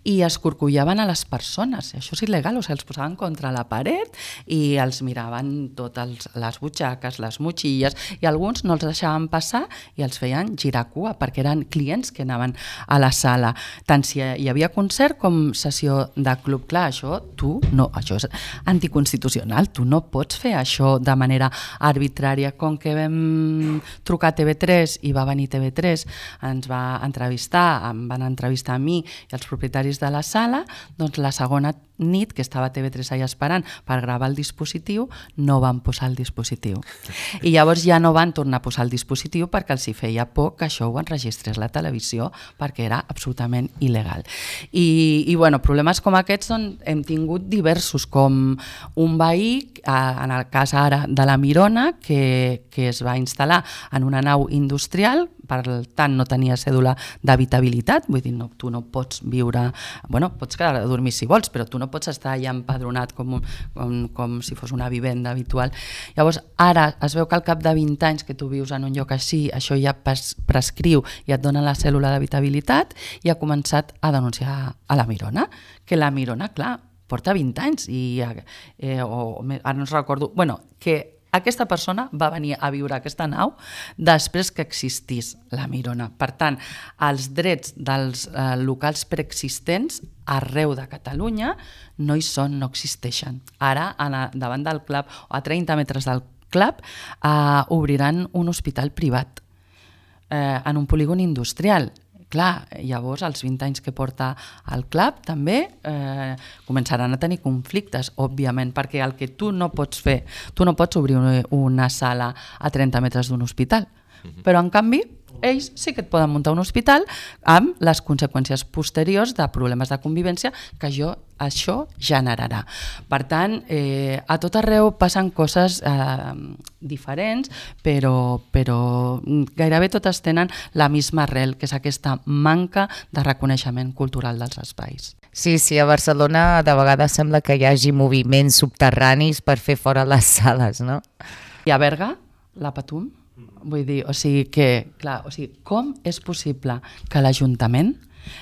i escorcollaven a les persones. Això és il·legal, o sigui, els posaven contra la paret i els miraven totes les butxaques, les motxilles, i alguns no els deixaven passar i els feien girar cua perquè eren clients que anaven a la sala. Tant si hi havia concert com sessió de club. Clar, això és anticonstitucional, tu no pots fer això de manera arbitrària. Com que vam trucar a TV3 i va venir TV3 ens va entrevistar, em van entrevistar a mi i els propietaris de la sala, doncs la segona nit, que estava TV3 allà esperant per gravar el dispositiu, no van posar el dispositiu. I llavors ja no van tornar a posar el dispositiu perquè els hi feia por que això ho enregistrés la televisió, perquè era absolutament il·legal. I bueno, problemes com aquests hem tingut diversos, com un veí, en el cas ara de la Mirona, que es va instal·lar en una nau industrial, per tant no tenia cèdula d'habitabilitat, vull dir, tu no pots viure, bueno, pots quedar a dormir si vols, però tu no pots estar allà empadronat com si fos una vivenda habitual. Llavors, ara es veu que al cap de 20 anys que tu vius en un lloc així, això ja prescriu i et donen la cèl·lula d'habitabilitat, i ha començat a denunciar a la Mirona, que la Mirona, clar, porta 20 anys i ara no recordo, bueno, que aquesta persona va venir a viure a aquesta nau després que existís la Mirona. Per tant, els drets dels locals preexistents arreu de Catalunya no hi són, no existeixen. Ara, davant del club, o a 30 metres del club, obriran un hospital privat en un polígon industrial. Clar, llavors, als 20 anys que porta el club, també començaran a tenir conflictes, òbviament, perquè el que tu no pots fer, tu no pots obrir una sala a 30 metres d'un hospital, però en canvi ells sí que et poden muntar un hospital amb les conseqüències posteriors de problemes de convivència que això generarà. Per tant, a tot arreu passen coses diferents, però gairebé totes tenen la misma arrel, que és aquesta manca de reconeixement cultural dels espais. Sí, a Barcelona de vegades sembla que hi hagi moviments subterranis per fer fora les sales, no? I a Berga, la Patum, vull dir, com és possible que l'Ajuntament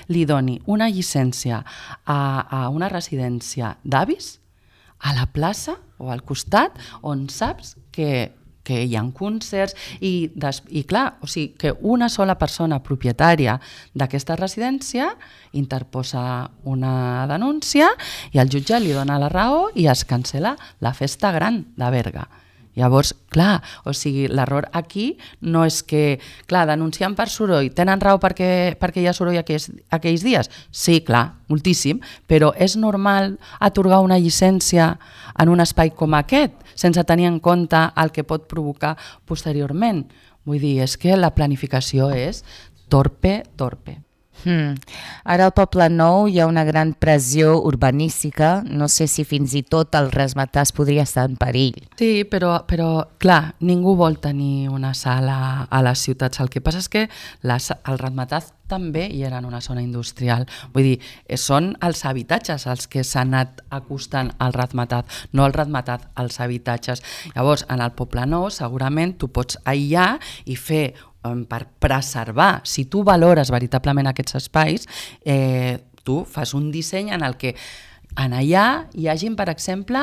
li doni una llicència a una residència d'avis a la plaça o al costat on saps que hi ha concerts i clar, que una sola persona propietària d'aquesta residència interposa una denúncia i el jutge li dona la raó i es cancel·la la festa gran de Berga. Llavors, clar, l'error aquí no és que, clar, denuncien per soroll, tenen raó perquè hi ha soroll aquells dies? Sí, clar, moltíssim, però és normal atorgar una llicència en un espai com aquest, sense tenir en compte el que pot provocar posteriorment. Vull dir, és que la planificació és torpe. Ara al Poble Nou hi ha una gran pressió urbanística, no sé si fins i tot el Razzmatazz podria estar en perill. Sí, però clar, ningú vol tenir una sala a les ciutats. El que passa és que el Razzmatazz també hi era en una zona industrial. Vull dir, són els habitatges els que s'han anat acostant al Razzmatazz, no el Razzmatazz als habitatges. Llavors, en el Poble Nou segurament tu pots aïllar i fer per preservar, si tu valores veritablement aquests espais, tu fas un disseny en el que en allà hi hagin, per exemple,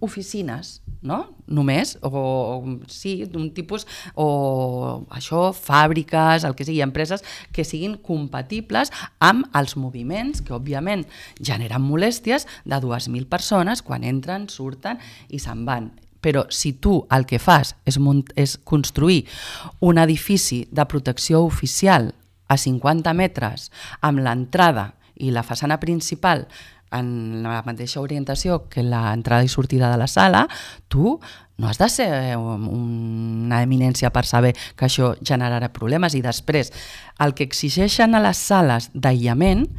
oficines, no? Només, d'un tipus, o això, fàbriques, el que sigui, empreses que siguin compatibles amb els moviments que, òbviament, generen molèsties de 2.000 persones quan entren, surten i se'n van. Però si tu el que fas és construir un edifici de protecció oficial a 50 metres amb l'entrada i la façana principal en la mateixa orientació que l'entrada i sortida de la sala, tu no has de ser una eminència per saber que això generarà problemes. I després, el que exigeixen a les sales d'aïllament,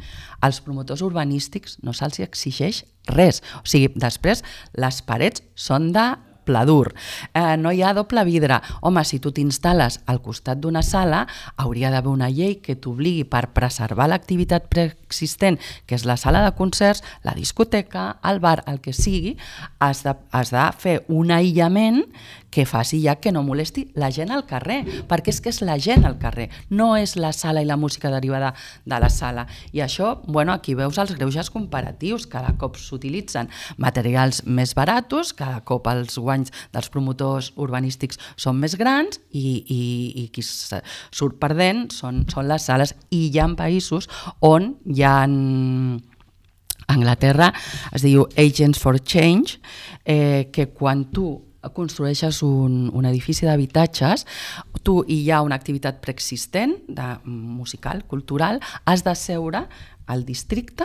als promotors urbanístics no se'ls exigeix res. O sigui, després les parets són de pladur, no hi ha doble vidre. Home, si tu t'instal·les al costat d'una sala, hauria d'haver una llei que t'obligui per preservar l'activitat preexistent, que és la sala de concerts, la discoteca, el bar, el que sigui, has de fer un aïllament que faci ja que no molesti la gent al carrer, perquè és que és la gent al carrer, no és la sala i la música derivada de la sala. I això, bueno, aquí veus els greuges comparatius, cada cop s'utilitzen materials més baratos, cada cop els guanys dels promotors urbanístics són més grans i qui surt perdent són les sales. I hi ha països on hi ha... Anglaterra es diu Agents for Change, que quan tu construeixes un edifici d'habitatges, tu hi ha una activitat preexistent, musical, cultural, has de seure al districte,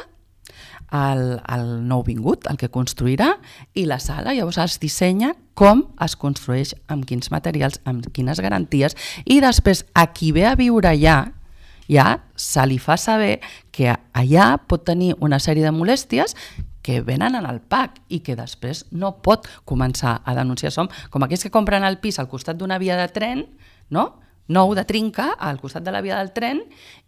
el nou vingut, el que construirà, i la sala, llavors es dissenya com es construeix, amb quins materials, amb quines garanties, i després a qui ve a viure allà, ja se li fa saber que allà pot tenir una sèrie de molèsties que venen en el PAC i que després no pot començar a denunciar. Som com aquells que compren el pis al costat d'una via de tren, no? Nou de trinca al costat de la via del tren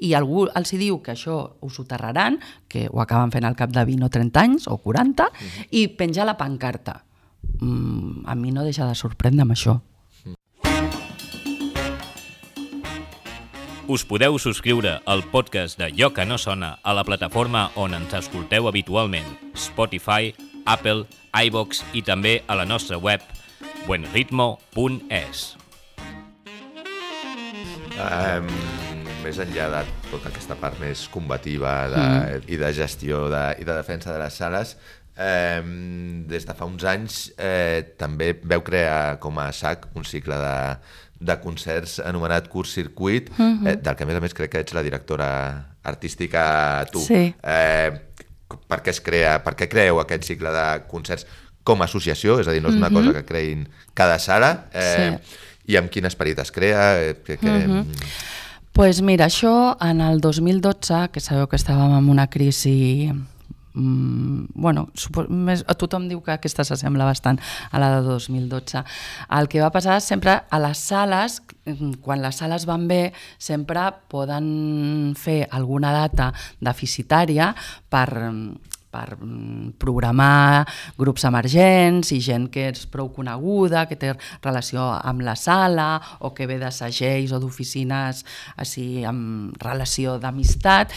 i algú els diu que això ho soterraran, que ho acaben fent al cap de 20 o 30 anys o 40, i penja la pancarta. A mi no deixa de sorprendre amb això. Us podeu subscriure al podcast de Allò que no sona a la plataforma on ens escolteu habitualment, Spotify, Apple, iVoox i també a la nostra web buenritmo.es. Més enllà de tota aquesta part més combativa i de gestió i de defensa de les sales, des de fa uns anys també veu crear com a SAC un cicle de concerts anomenat Curt Circuit, del que a més crec que ets la directora artística tu. Sí. Per què creeu aquest cicle de concerts com a associació? És a dir, no és una cosa que creïn cada sala, i amb quin esperit es crea? Pues mira, això en el 2012, que sabeu que estàvem en una crisi... tothom diu que aquesta s'assembla bastant a la de 2012. El que va passar sempre a les sales, quan les sales van bé, sempre poden fer alguna data deficitària per programar grups emergents i gent que és prou coneguda, que té relació amb la sala o que ve de segells o d'oficines així amb relació d'amistat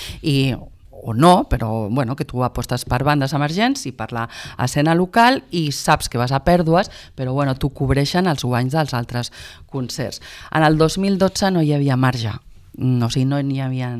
o no, però bueno, que tu apostes per bandes emergents i per l'escena local i saps que vas a pèrdues, però bueno, tu cobreixen els guanys dels altres concerts. En el 2012 no hi havia marge, o sigui, no hi havia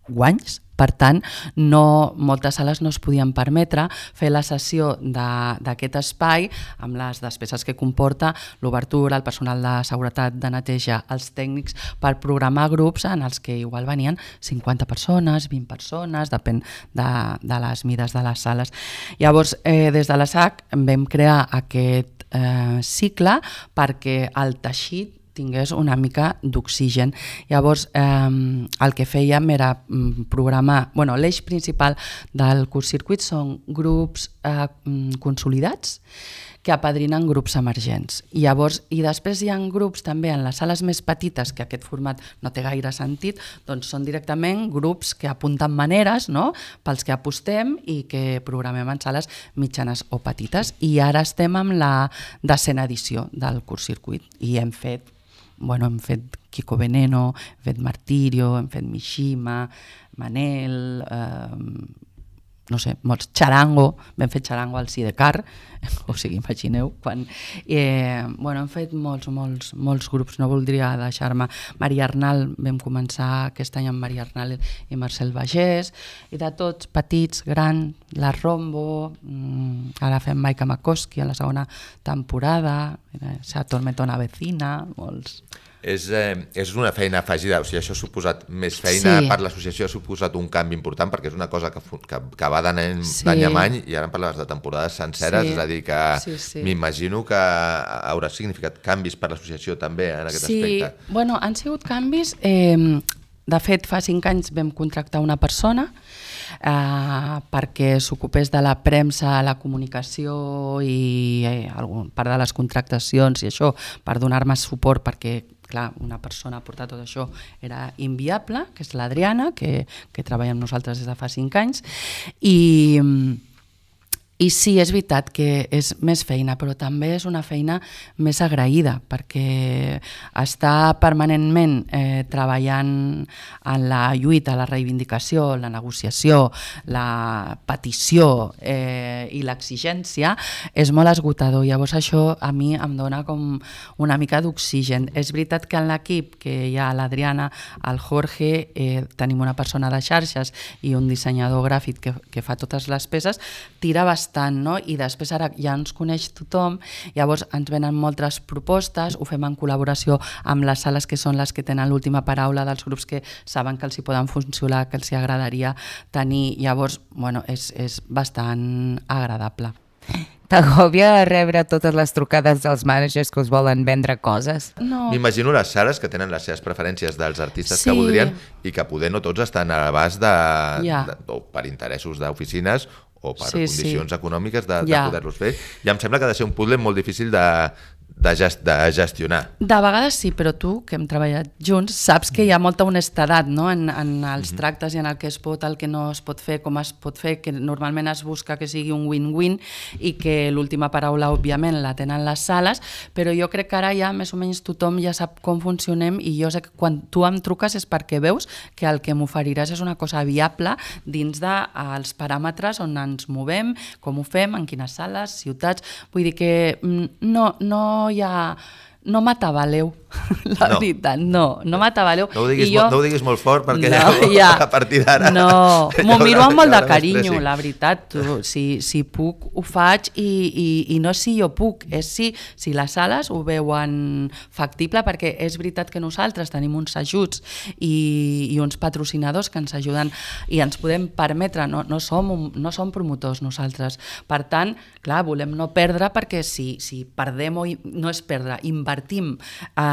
guanys, per tant, moltes sales no es podien permetre fer la cessió d'aquest espai amb les despeses que comporta l'obertura, el personal de seguretat, de neteja, els tècnics, per programar grups en els que igual venien 50 persones, 20 persones, depèn de les mides de les sales. Llavors, des de la SAC vam crear aquest cicle perquè el teixit tingués una mica d'oxigen. Llavors, el que fèiem era programar... L'eix principal del Curt Circuit són grups consolidats que apadrinen grups emergents. I després hi ha grups també en les sales més petites, que aquest format no té gaire sentit, doncs són directament grups que apunten maneres, no?, pels que apostem i que programem en sales mitjanes o petites. I ara estem amb la 10ª edició del Curt Circuit i hem fet Kiko Veneno, hem fet Martirio, hem fet Mishima, Manel, no sé, molts, Charango, vam fer Charango al Sidecar, o sigui, imagineu, hem fet molts grups, no voldria deixar-me. Maria Arnal, vam començar aquest any amb Maria Arnal i Marcel Bagés, i de tots, petits, grans, la Rombo, ara fem Maika Makoski a la 2ª temporada, Se atormenta una vecina, molts... És una feina afegida, o sigui, això ha suposat més feina per l'associació, ha suposat un canvi important perquè és una cosa que va d'any en any i ara em parlaves de temporades senceres, és a dir que m'imagino que haurà significat canvis per l'associació també en aquest aspecte. Sí, han sigut canvis. De fet, fa 5 anys vam contractar una persona perquè s'ocupés de la premsa, la comunicació i part de les contractacions i això, per donar-me suport perquè clar, una persona a portar tot això era inviable, que és l'Adriana, que treballa amb nosaltres des de fa 5 anys, i sí, és veritat que és més feina, però també és una feina més agraïda, perquè està permanentment treballant en la lluita, la reivindicació, la negociació, la petició i l'exigència és molt esgotador. Llavors això a mi em dona com una mica d'oxigen. És veritat que en l'equip, que hi ha l'Adriana, el Jorge, tenim una persona de xarxes i un dissenyador gràfic que fa totes les peces, tira bastant bastant, no? I després ara ja ens coneix tothom, llavors ens venen moltes propostes, ho fem en col·laboració amb les sales que són les que tenen l'última paraula dels grups que saben que els hi poden funcionar, que els hi agradaria tenir, llavors, bueno, és bastant agradable. T'agòbia rebre totes les trucades dels managers que us volen vendre coses? No. M'imagino les sales que tenen les seves preferències dels artistes Sí. que voldrien i que poder no tots estan a l'abast Ja. o per interessos d'oficines o per Sí, condicions econòmiques de Ja. poder-los fer. I em sembla que ha de ser un puzzle molt difícil de gestionar. De vegades sí, però tu, que hem treballat junts, saps que hi ha molta honestedat, no? en els tractes i en el que es pot, el que no es pot fer, com es pot fer, que normalment es busca que sigui un win-win i que l'última paraula, òbviament, la tenen les sales, però jo crec que ara ja més o menys tothom ja sap com funcionem i jo sé que quan tu em truques és perquè veus que el que m'oferiràs és una cosa viable dins dels paràmetres on ens movem, com ho fem, en quines sales, ciutats... Vull dir que no m'atabaleu, la veritat, no m'atabaleu. No ho diguis molt fort perquè a partir d'ara... No, m'ho miro amb molt de carinyo, la veritat. Si puc, ho faig i no és si jo puc, és si les sales ho veuen factible, perquè és veritat que nosaltres tenim uns ajuts i uns patrocinadors que ens ajuden i ens podem permetre, no som promotors nosaltres. Per tant, clar, volem no perdre, perquè si perdem o no és perdre, invertim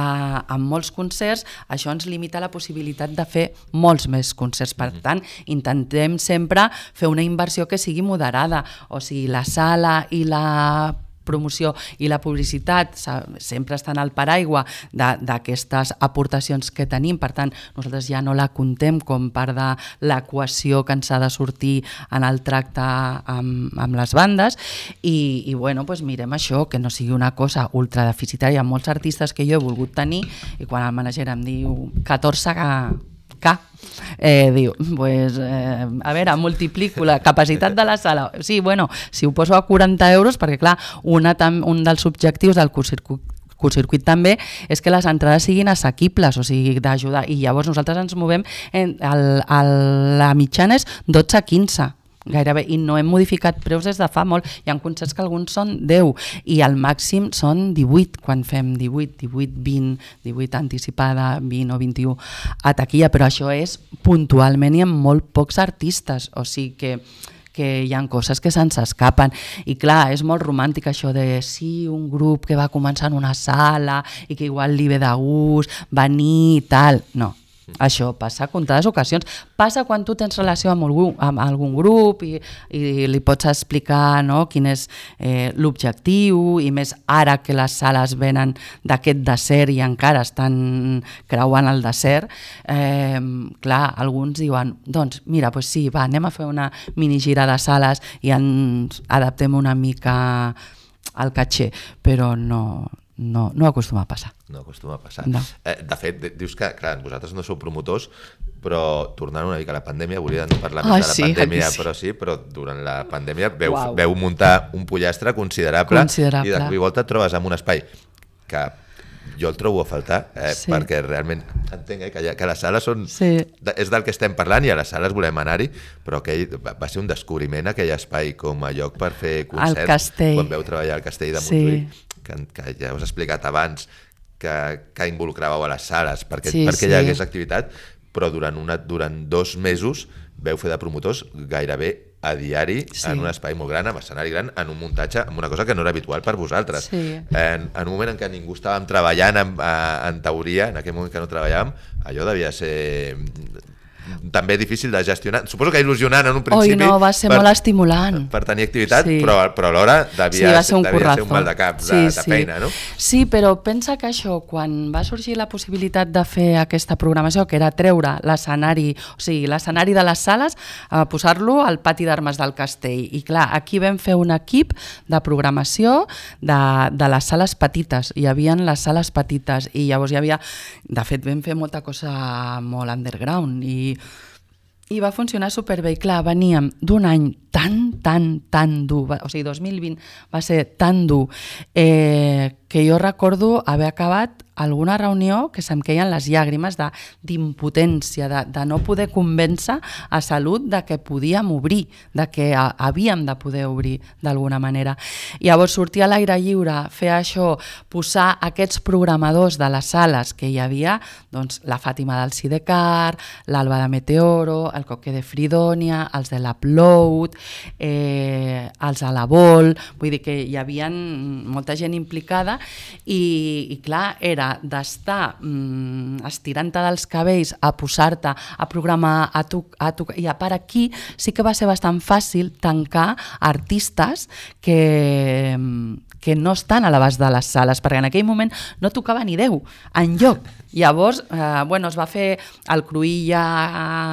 en molts concerts, això ens limita la possibilitat de fer molts més concerts. Per tant, intentem sempre fer una inversió que sigui moderada, o sigui, la sala i la promoció i la publicitat sempre estan al paraigua d'aquestes aportacions que tenim, per tant nosaltres ja no la contem com part de l'equació que ens ha de sortir en el tracte amb les bandes i bueno, doncs mirem això, que no sigui una cosa ultradeficitària. Molts artistes que jo he volgut tenir i quan el manager em diu 14 diu, pues, a veure, multiplico la capacitat de la sala, sí, bueno, si ho poso a 40 euros, perquè clar, un dels objectius del curtcircuit també és que les entrades siguin assequibles, o sigui, d'ajudar, i llavors nosaltres ens movem, la mitjana és 12-15 gairebé, i no hem modificat preus des de fa molt. Hi ha concerts que alguns són 10 i el màxim són 18 quan fem 18, 20, 18 anticipada, 20 o 21 a taquilla, però això és puntualment i amb molt pocs artistes, o sigui que hi ha coses que se'ns escapen i clar, és molt romàntic això de sí, un grup que va començar en una sala i que igual li ve de gust venir i tal, no. Això passa a comptades ocasions. Passa quan tu tens relació amb algun grup i li pots explicar, no, quin és l'objectiu, i més ara que les sales venen d'aquest desert i encara estan creuant el desert. Clar, alguns diuen, doncs mira, doncs sí, va, anem a fer una minigira de sales i ens adaptem una mica al caché, però no acostuma a passar. No acostuma a passar. No. De fet, dius que, clar, vosaltres no sou promotors, però tornant una mica a la pandèmia, volia no parlar més de la pandèmia, però durant la pandèmia veu muntar un pollastre considerable. I de cop i volta et trobes en un espai que jo el trobo a faltar, perquè realment entenc que les sales són... És del que estem parlant i a les sales volem anar-hi, però va ser un descobriment aquell espai com a lloc per fer concerts. Quan veu treballar al Castell de Montjuïc, que ja us he explicat abans, que involucràveu a les sales perquè hi hagués activitat, però durant 2 mesos veu fer de promotors gairebé a diari en un espai molt gran, amb escenari gran, en un muntatge, amb una cosa que no era habitual per vosaltres. En un moment en què ningú estàvem treballant en teoria, en aquell moment que no treballàvem, allò devia ser també difícil de gestionar. Suposo que il·lusionant en un principi. Va ser molt estimulant. Per tenir activitat, però alhora devia ser un mal de cap de feina, no? Sí, però pensa que això, quan va sorgir la possibilitat de fer aquesta programació, que era treure l'escenari, o sigui, l'escenari de les sales, posar-lo al pati d'armes del castell. I clar, aquí vam fer un equip de programació de les sales petites. Hi havia les sales petites i llavors hi havia... De fet, vam fer molta cosa molt underground i va funcionar superbé. I clar, veníem d'un any tan dur, o sigui, 2020 va ser tan dur que jo recordo haver acabat alguna reunió que se'm queien les llàgrimes d'impotència, de no poder convèncer a Salut de que podíem obrir, de que havíem de poder obrir d'alguna manera. Llavors sortir a l'aire lliure, fer això, posar aquests programadors de les sales que hi havia, doncs la Fàtima del Sidecar, l'Alba de Meteoro, el Coque de Fridònia, els de l'Upload, els a la Vol, vull dir que hi havia molta gent implicada i clar, era d'estar estirant-te dels cabells a posar-te a programar i a part aquí sí que va ser bastant fàcil tancar artistes que no estan a l'abast de les sales, perquè en aquell moment no tocava ni Déu enlloc. Llavors, es va fer el Cruïlla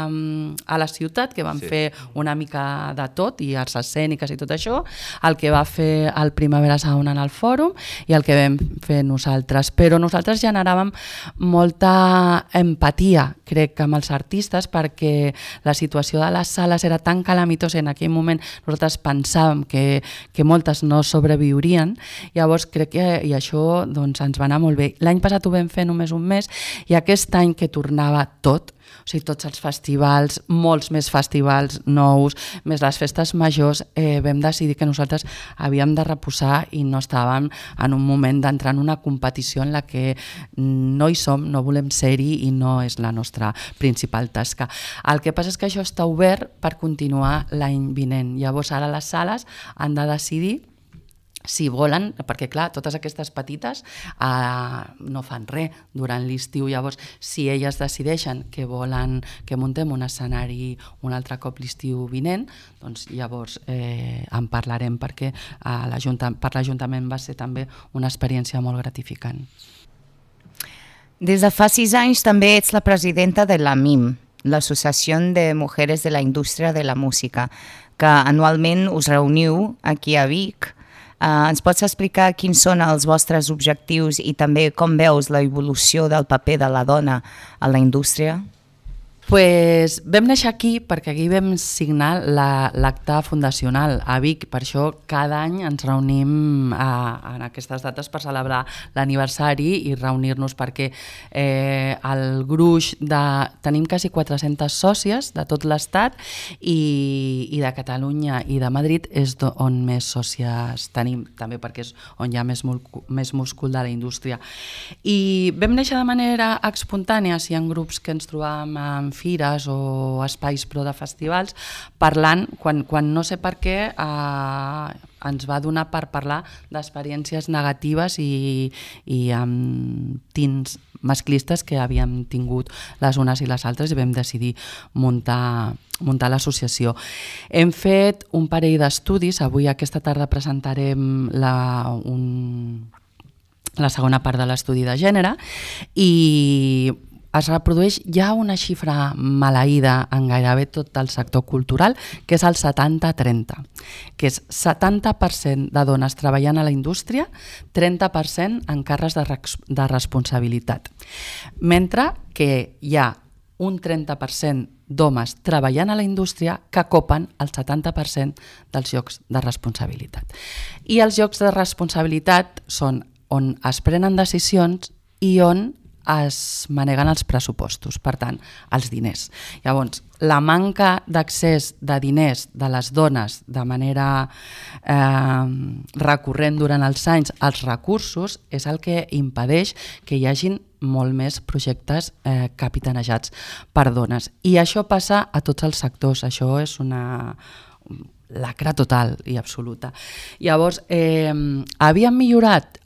a la ciutat, que van fer una mica de tot, i arts escèniques i tot això, el que va fer el Primavera Sound en el fòrum i el que vam fer nosaltres. Però nosaltres generàvem molta empatia, crec, amb els artistes, perquè la situació de les sales era tan calamitosa en aquell moment, nosaltres pensàvem que moltes no sobreviurien. Llavors crec que i això ens va anar molt bé. L'any passat ho vam fer només un mes i aquest any que tornava tot, o sigui, tots els festivals, molts més festivals nous, més les festes majors, vam decidir que nosaltres havíem de reposar i no estàvem en un moment d'entrar en una competició en la que no hi som, no volem ser-hi i no és la nostra principal tasca. El que passa és que això està obert per continuar l'any vinent. Llavors ara les sales han de decidir si volen, perquè clar, totes aquestes petites no fan res durant l'estiu, llavors si elles decideixen que volen que muntem un escenari un altre cop l'estiu vinent, doncs llavors en parlarem, perquè per l'Ajuntament va ser també una experiència molt gratificant. Des de fa 6 anys també ets la presidenta de l'AMIM, l'Associació de Mujeres de la Indústria de la Música, que anualment us reuniu aquí a Vic. Ens pots explicar quins són els vostres objectius i també com veus la evolució del paper de la dona a la indústria? Pues vam néixer aquí perquè aquí vam signar l'acte fundacional a Vic, per això cada any ens reunim en aquestes dates per celebrar l'aniversari i reunir-nos, perquè el gruix tenim quasi 400 sòcies de tot l'estat i de Catalunya i de Madrid és on més sòcies tenim, també perquè és on hi ha més múscul de la indústria. I vam néixer de manera espontània, si hi ha grups que ens trobàvem en fires o espais pro de festivals, parlant, quan no sé per què ens va donar per parlar d'experiències negatives i amb tints masclistes que havíem tingut les unes i les altres, i vam decidir muntar l'associació. Hem fet un parell d'estudis, avui aquesta tarda presentarem la segona part de l'estudi de gènere, i es reprodueix ja una xifra maleïda en gairebé tot el sector cultural, que és el 70-30, que és 70% de dones treballant a la indústria, 30% en càrrecs de responsabilitat. Mentre que hi ha un 30% d'homes treballant a la indústria que copen el 70% dels llocs de responsabilitat. I els llocs de responsabilitat són on es prenen decisions i on es maneguen els pressupostos, per tant, els diners. Llavors, la manca d'accés de diners de les dones de manera recurrent durant els anys als recursos és el que impedeix que hi hagin molt més projectes capitanejats per dones. I això passa a tots els sectors, això és una lacra total i absoluta. Llavors, havíem millorat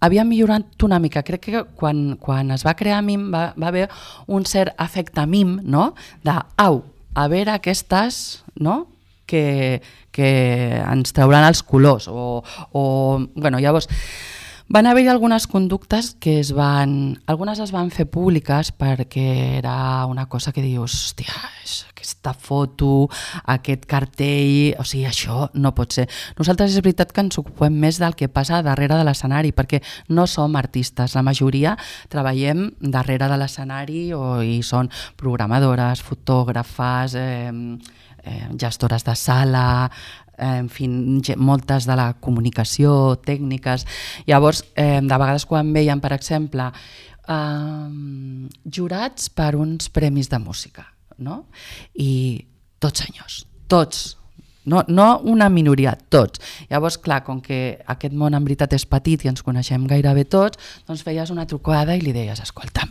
una mica. Crec que quan es va crear MIM va haver un cert efecte MIM, no? A veure aquestes, no? que ens trauran els colors. Llavors, van haver-hi algunes conductes que algunes es van fer públiques perquè era una cosa que dius, hòstia, aquesta foto, aquest cartell, o sigui, això no pot ser. Nosaltres és veritat que ens ocupem més del que passa darrere de l'escenari, perquè no som artistes, la majoria treballem darrere de l'escenari i són programadores, fotògrafes, gestores de sala, en fi, moltes de la comunicació, tècniques. Llavors, de vegades quan veiem, per exemple, jurats per uns premis de música, no? I tots senyors, tots, no una minoria, tots. Llavors, clar, com que aquest món en veritat és petit i ens coneixem gairebé tots, doncs feies una trucada i li deies, escolta'm,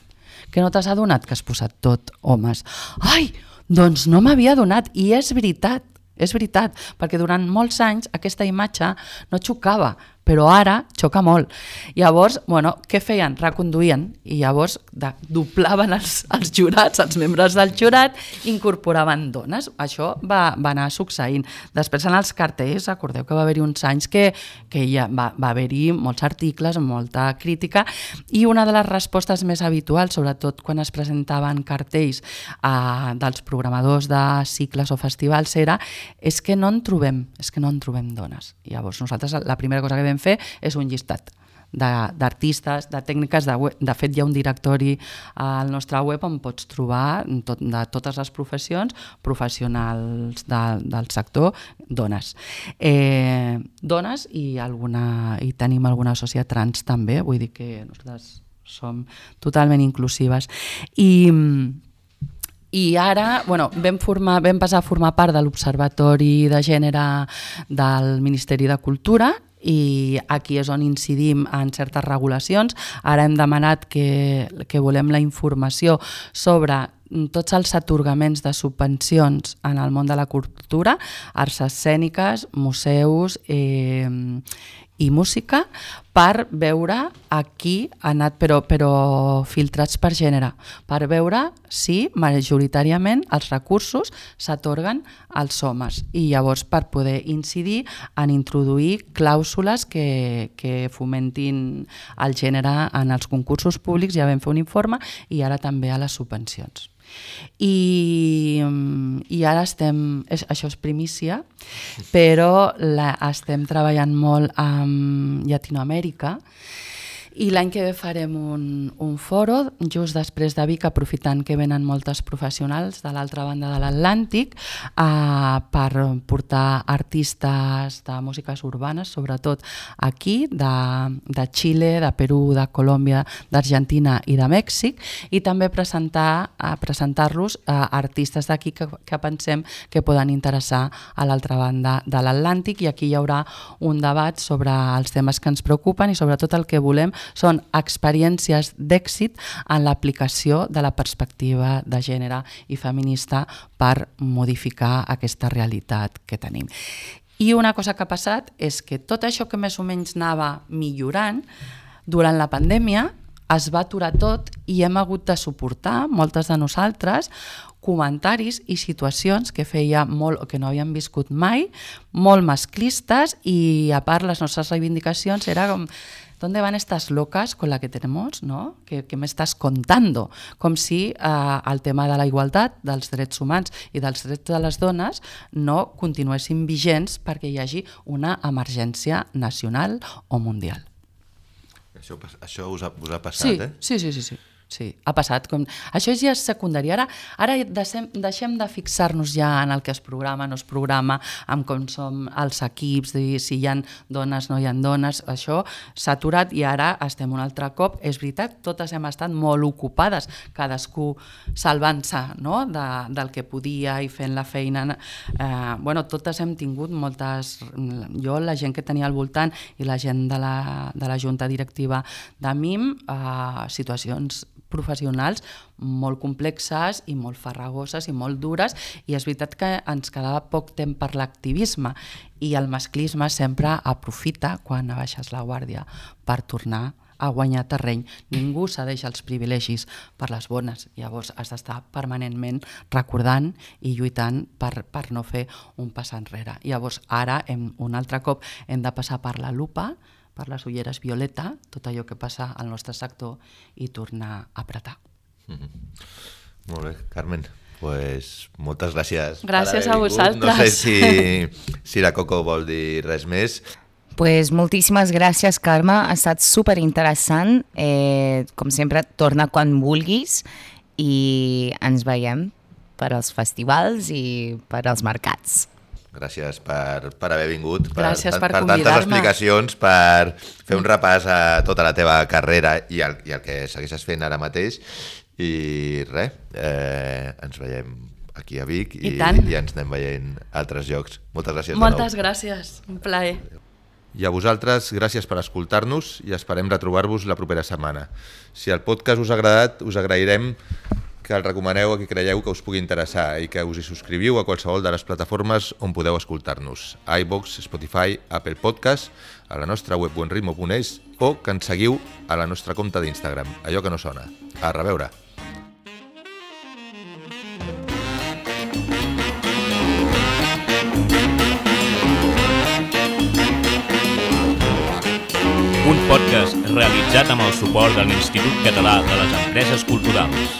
que no t'has adonat que has posat tot homes? Ai, doncs no m'havia adonat, i és veritat, perquè durant molts anys aquesta imatge no xocava, però ara xoca molt. Llavors, què feien? Reconduïen, i llavors doblaven els jurats, els membres del jurat, incorporaven dones. Això va anar succeint. Després en els cartells, recordeu que va haver-hi uns anys que ja va haver-hi molts articles, molta crítica, i una de les respostes més habituals, sobretot quan es presentaven cartells dels programadors de cicles o festivals, és que no en trobem dones. Llavors nosaltres la primera cosa que vam fer és un llistat d'artistes, de tècniques, de fet hi ha un directori al nostre web on pots trobar de totes les professions, professionals del sector, dones. Dones i tenim alguna sòcia trans també, vull dir que nosaltres som totalment inclusives. I ara vam passar a formar part de l'Observatori de Gènere del Ministeri de Cultura, i aquí és on incidim en certes regulacions. Ara hem demanat que volem la informació sobre tots els atorgaments de subvencions en el món de la cultura, arts escèniques, museus i música, per veure a qui ha anat, però filtrats per gènere, per veure si majoritàriament els recursos s'atorguen als homes, i llavors per poder incidir en introduir clàusules que fomentin el gènere en els concursos públics. Ja vam fer un informe, i ara també a les subvencions. I ara això és primícia, però estem treballant molt amb Llatinoamèrica, i l'any que ve farem un foro just després de Vic, aprofitant que venen moltes professionals de l'altra banda de l'Atlàntic, per portar artistes de músiques urbanes, sobretot aquí, de Xile, de Perú, de Colòmbia, d'Argentina i de Mèxic, i també presentar-los a artistes d'aquí que pensem que poden interessar a l'altra banda de l'Atlàntic, i aquí hi haurà un debat sobre els temes que ens preocupen, i sobretot el que volem són experiències d'èxit en l'aplicació de la perspectiva de gènere i feminista per modificar aquesta realitat que tenim. I una cosa que ha passat és que tot això que més o menys anava millorant, durant la pandèmia es va aturar tot, i hem hagut de suportar, moltes de nosaltres, comentaris i situacions que feia molt, que no havíem viscut mai, molt masclistes, i a part les nostres reivindicacions era com: ¿dónde van estas locas con la que tenemos, ¿no? ¿Qué me estás contando? Com si el tema de la igualtat, dels drets humans i dels drets de les dones no continuessin vigents perquè hi hagi una emergència nacional o mundial. Això us ha passat, Sí. Sí, ha passat. Això ja és secundari. Ara deixem de fixar-nos ja en el que es programa, no es programa, en com som els equips, si hi ha dones, no hi ha dones. Això s'ha aturat, i ara estem un altre cop. És veritat, totes hem estat molt ocupades, cadascú salvant-se del que podia i fent la feina. Totes hem tingut moltes... Jo, la gent que tenia al voltant, i la gent de la junta directiva de MIM, situacions professionals molt complexes i molt farragoses i molt dures, i és veritat que ens quedava poc temps per l'activisme, i el masclisme sempre aprofita quan baixes la guàrdia per tornar a guanyar terreny. Ningú cedeix els privilegis per les bones, llavors has d'estar permanentment recordant i lluitant per no fer un pas enrere. Llavors ara un altre cop hem de passar per la lupa, per les ulleres violeta, tot allò que passa al nostre sector, i tornar a apretar. Molt bé, Carmen, pues moltes gràcies. Gràcies a vosaltres. No sé si la Coco vol dir res més. Pues moltíssimes gràcies, Carme, ha estat superinteressant. Com sempre, torna quan vulguis i ens veiem per als festivals i per als mercats. Gràcies per haver vingut, Gràcies per tantes convidar-me. explicacions, per fer un repàs a tota la teva carrera i el que segueixes fent ara mateix. I res, ens veiem aquí a Vic i ens anem veient a altres llocs. Moltes gràcies de nou. Moltes gràcies, un plaer. I a vosaltres, gràcies per escoltar-nos i esperem retrobar-vos la propera setmana. Si el podcast us ha agradat, us agrairem que el recomaneu a qui creieu que us pugui interessar i que us hi subscriviu a qualsevol de les plataformes on podeu escoltar-nos. iVoox, Spotify, Apple Podcast, a la nostra web buenritmo.es o que ens seguiu a la nostra compte d'Instagram, allò que no sona. A reveure! Un podcast realitzat amb el suport de l'Institut Català de les Empreses Culturals.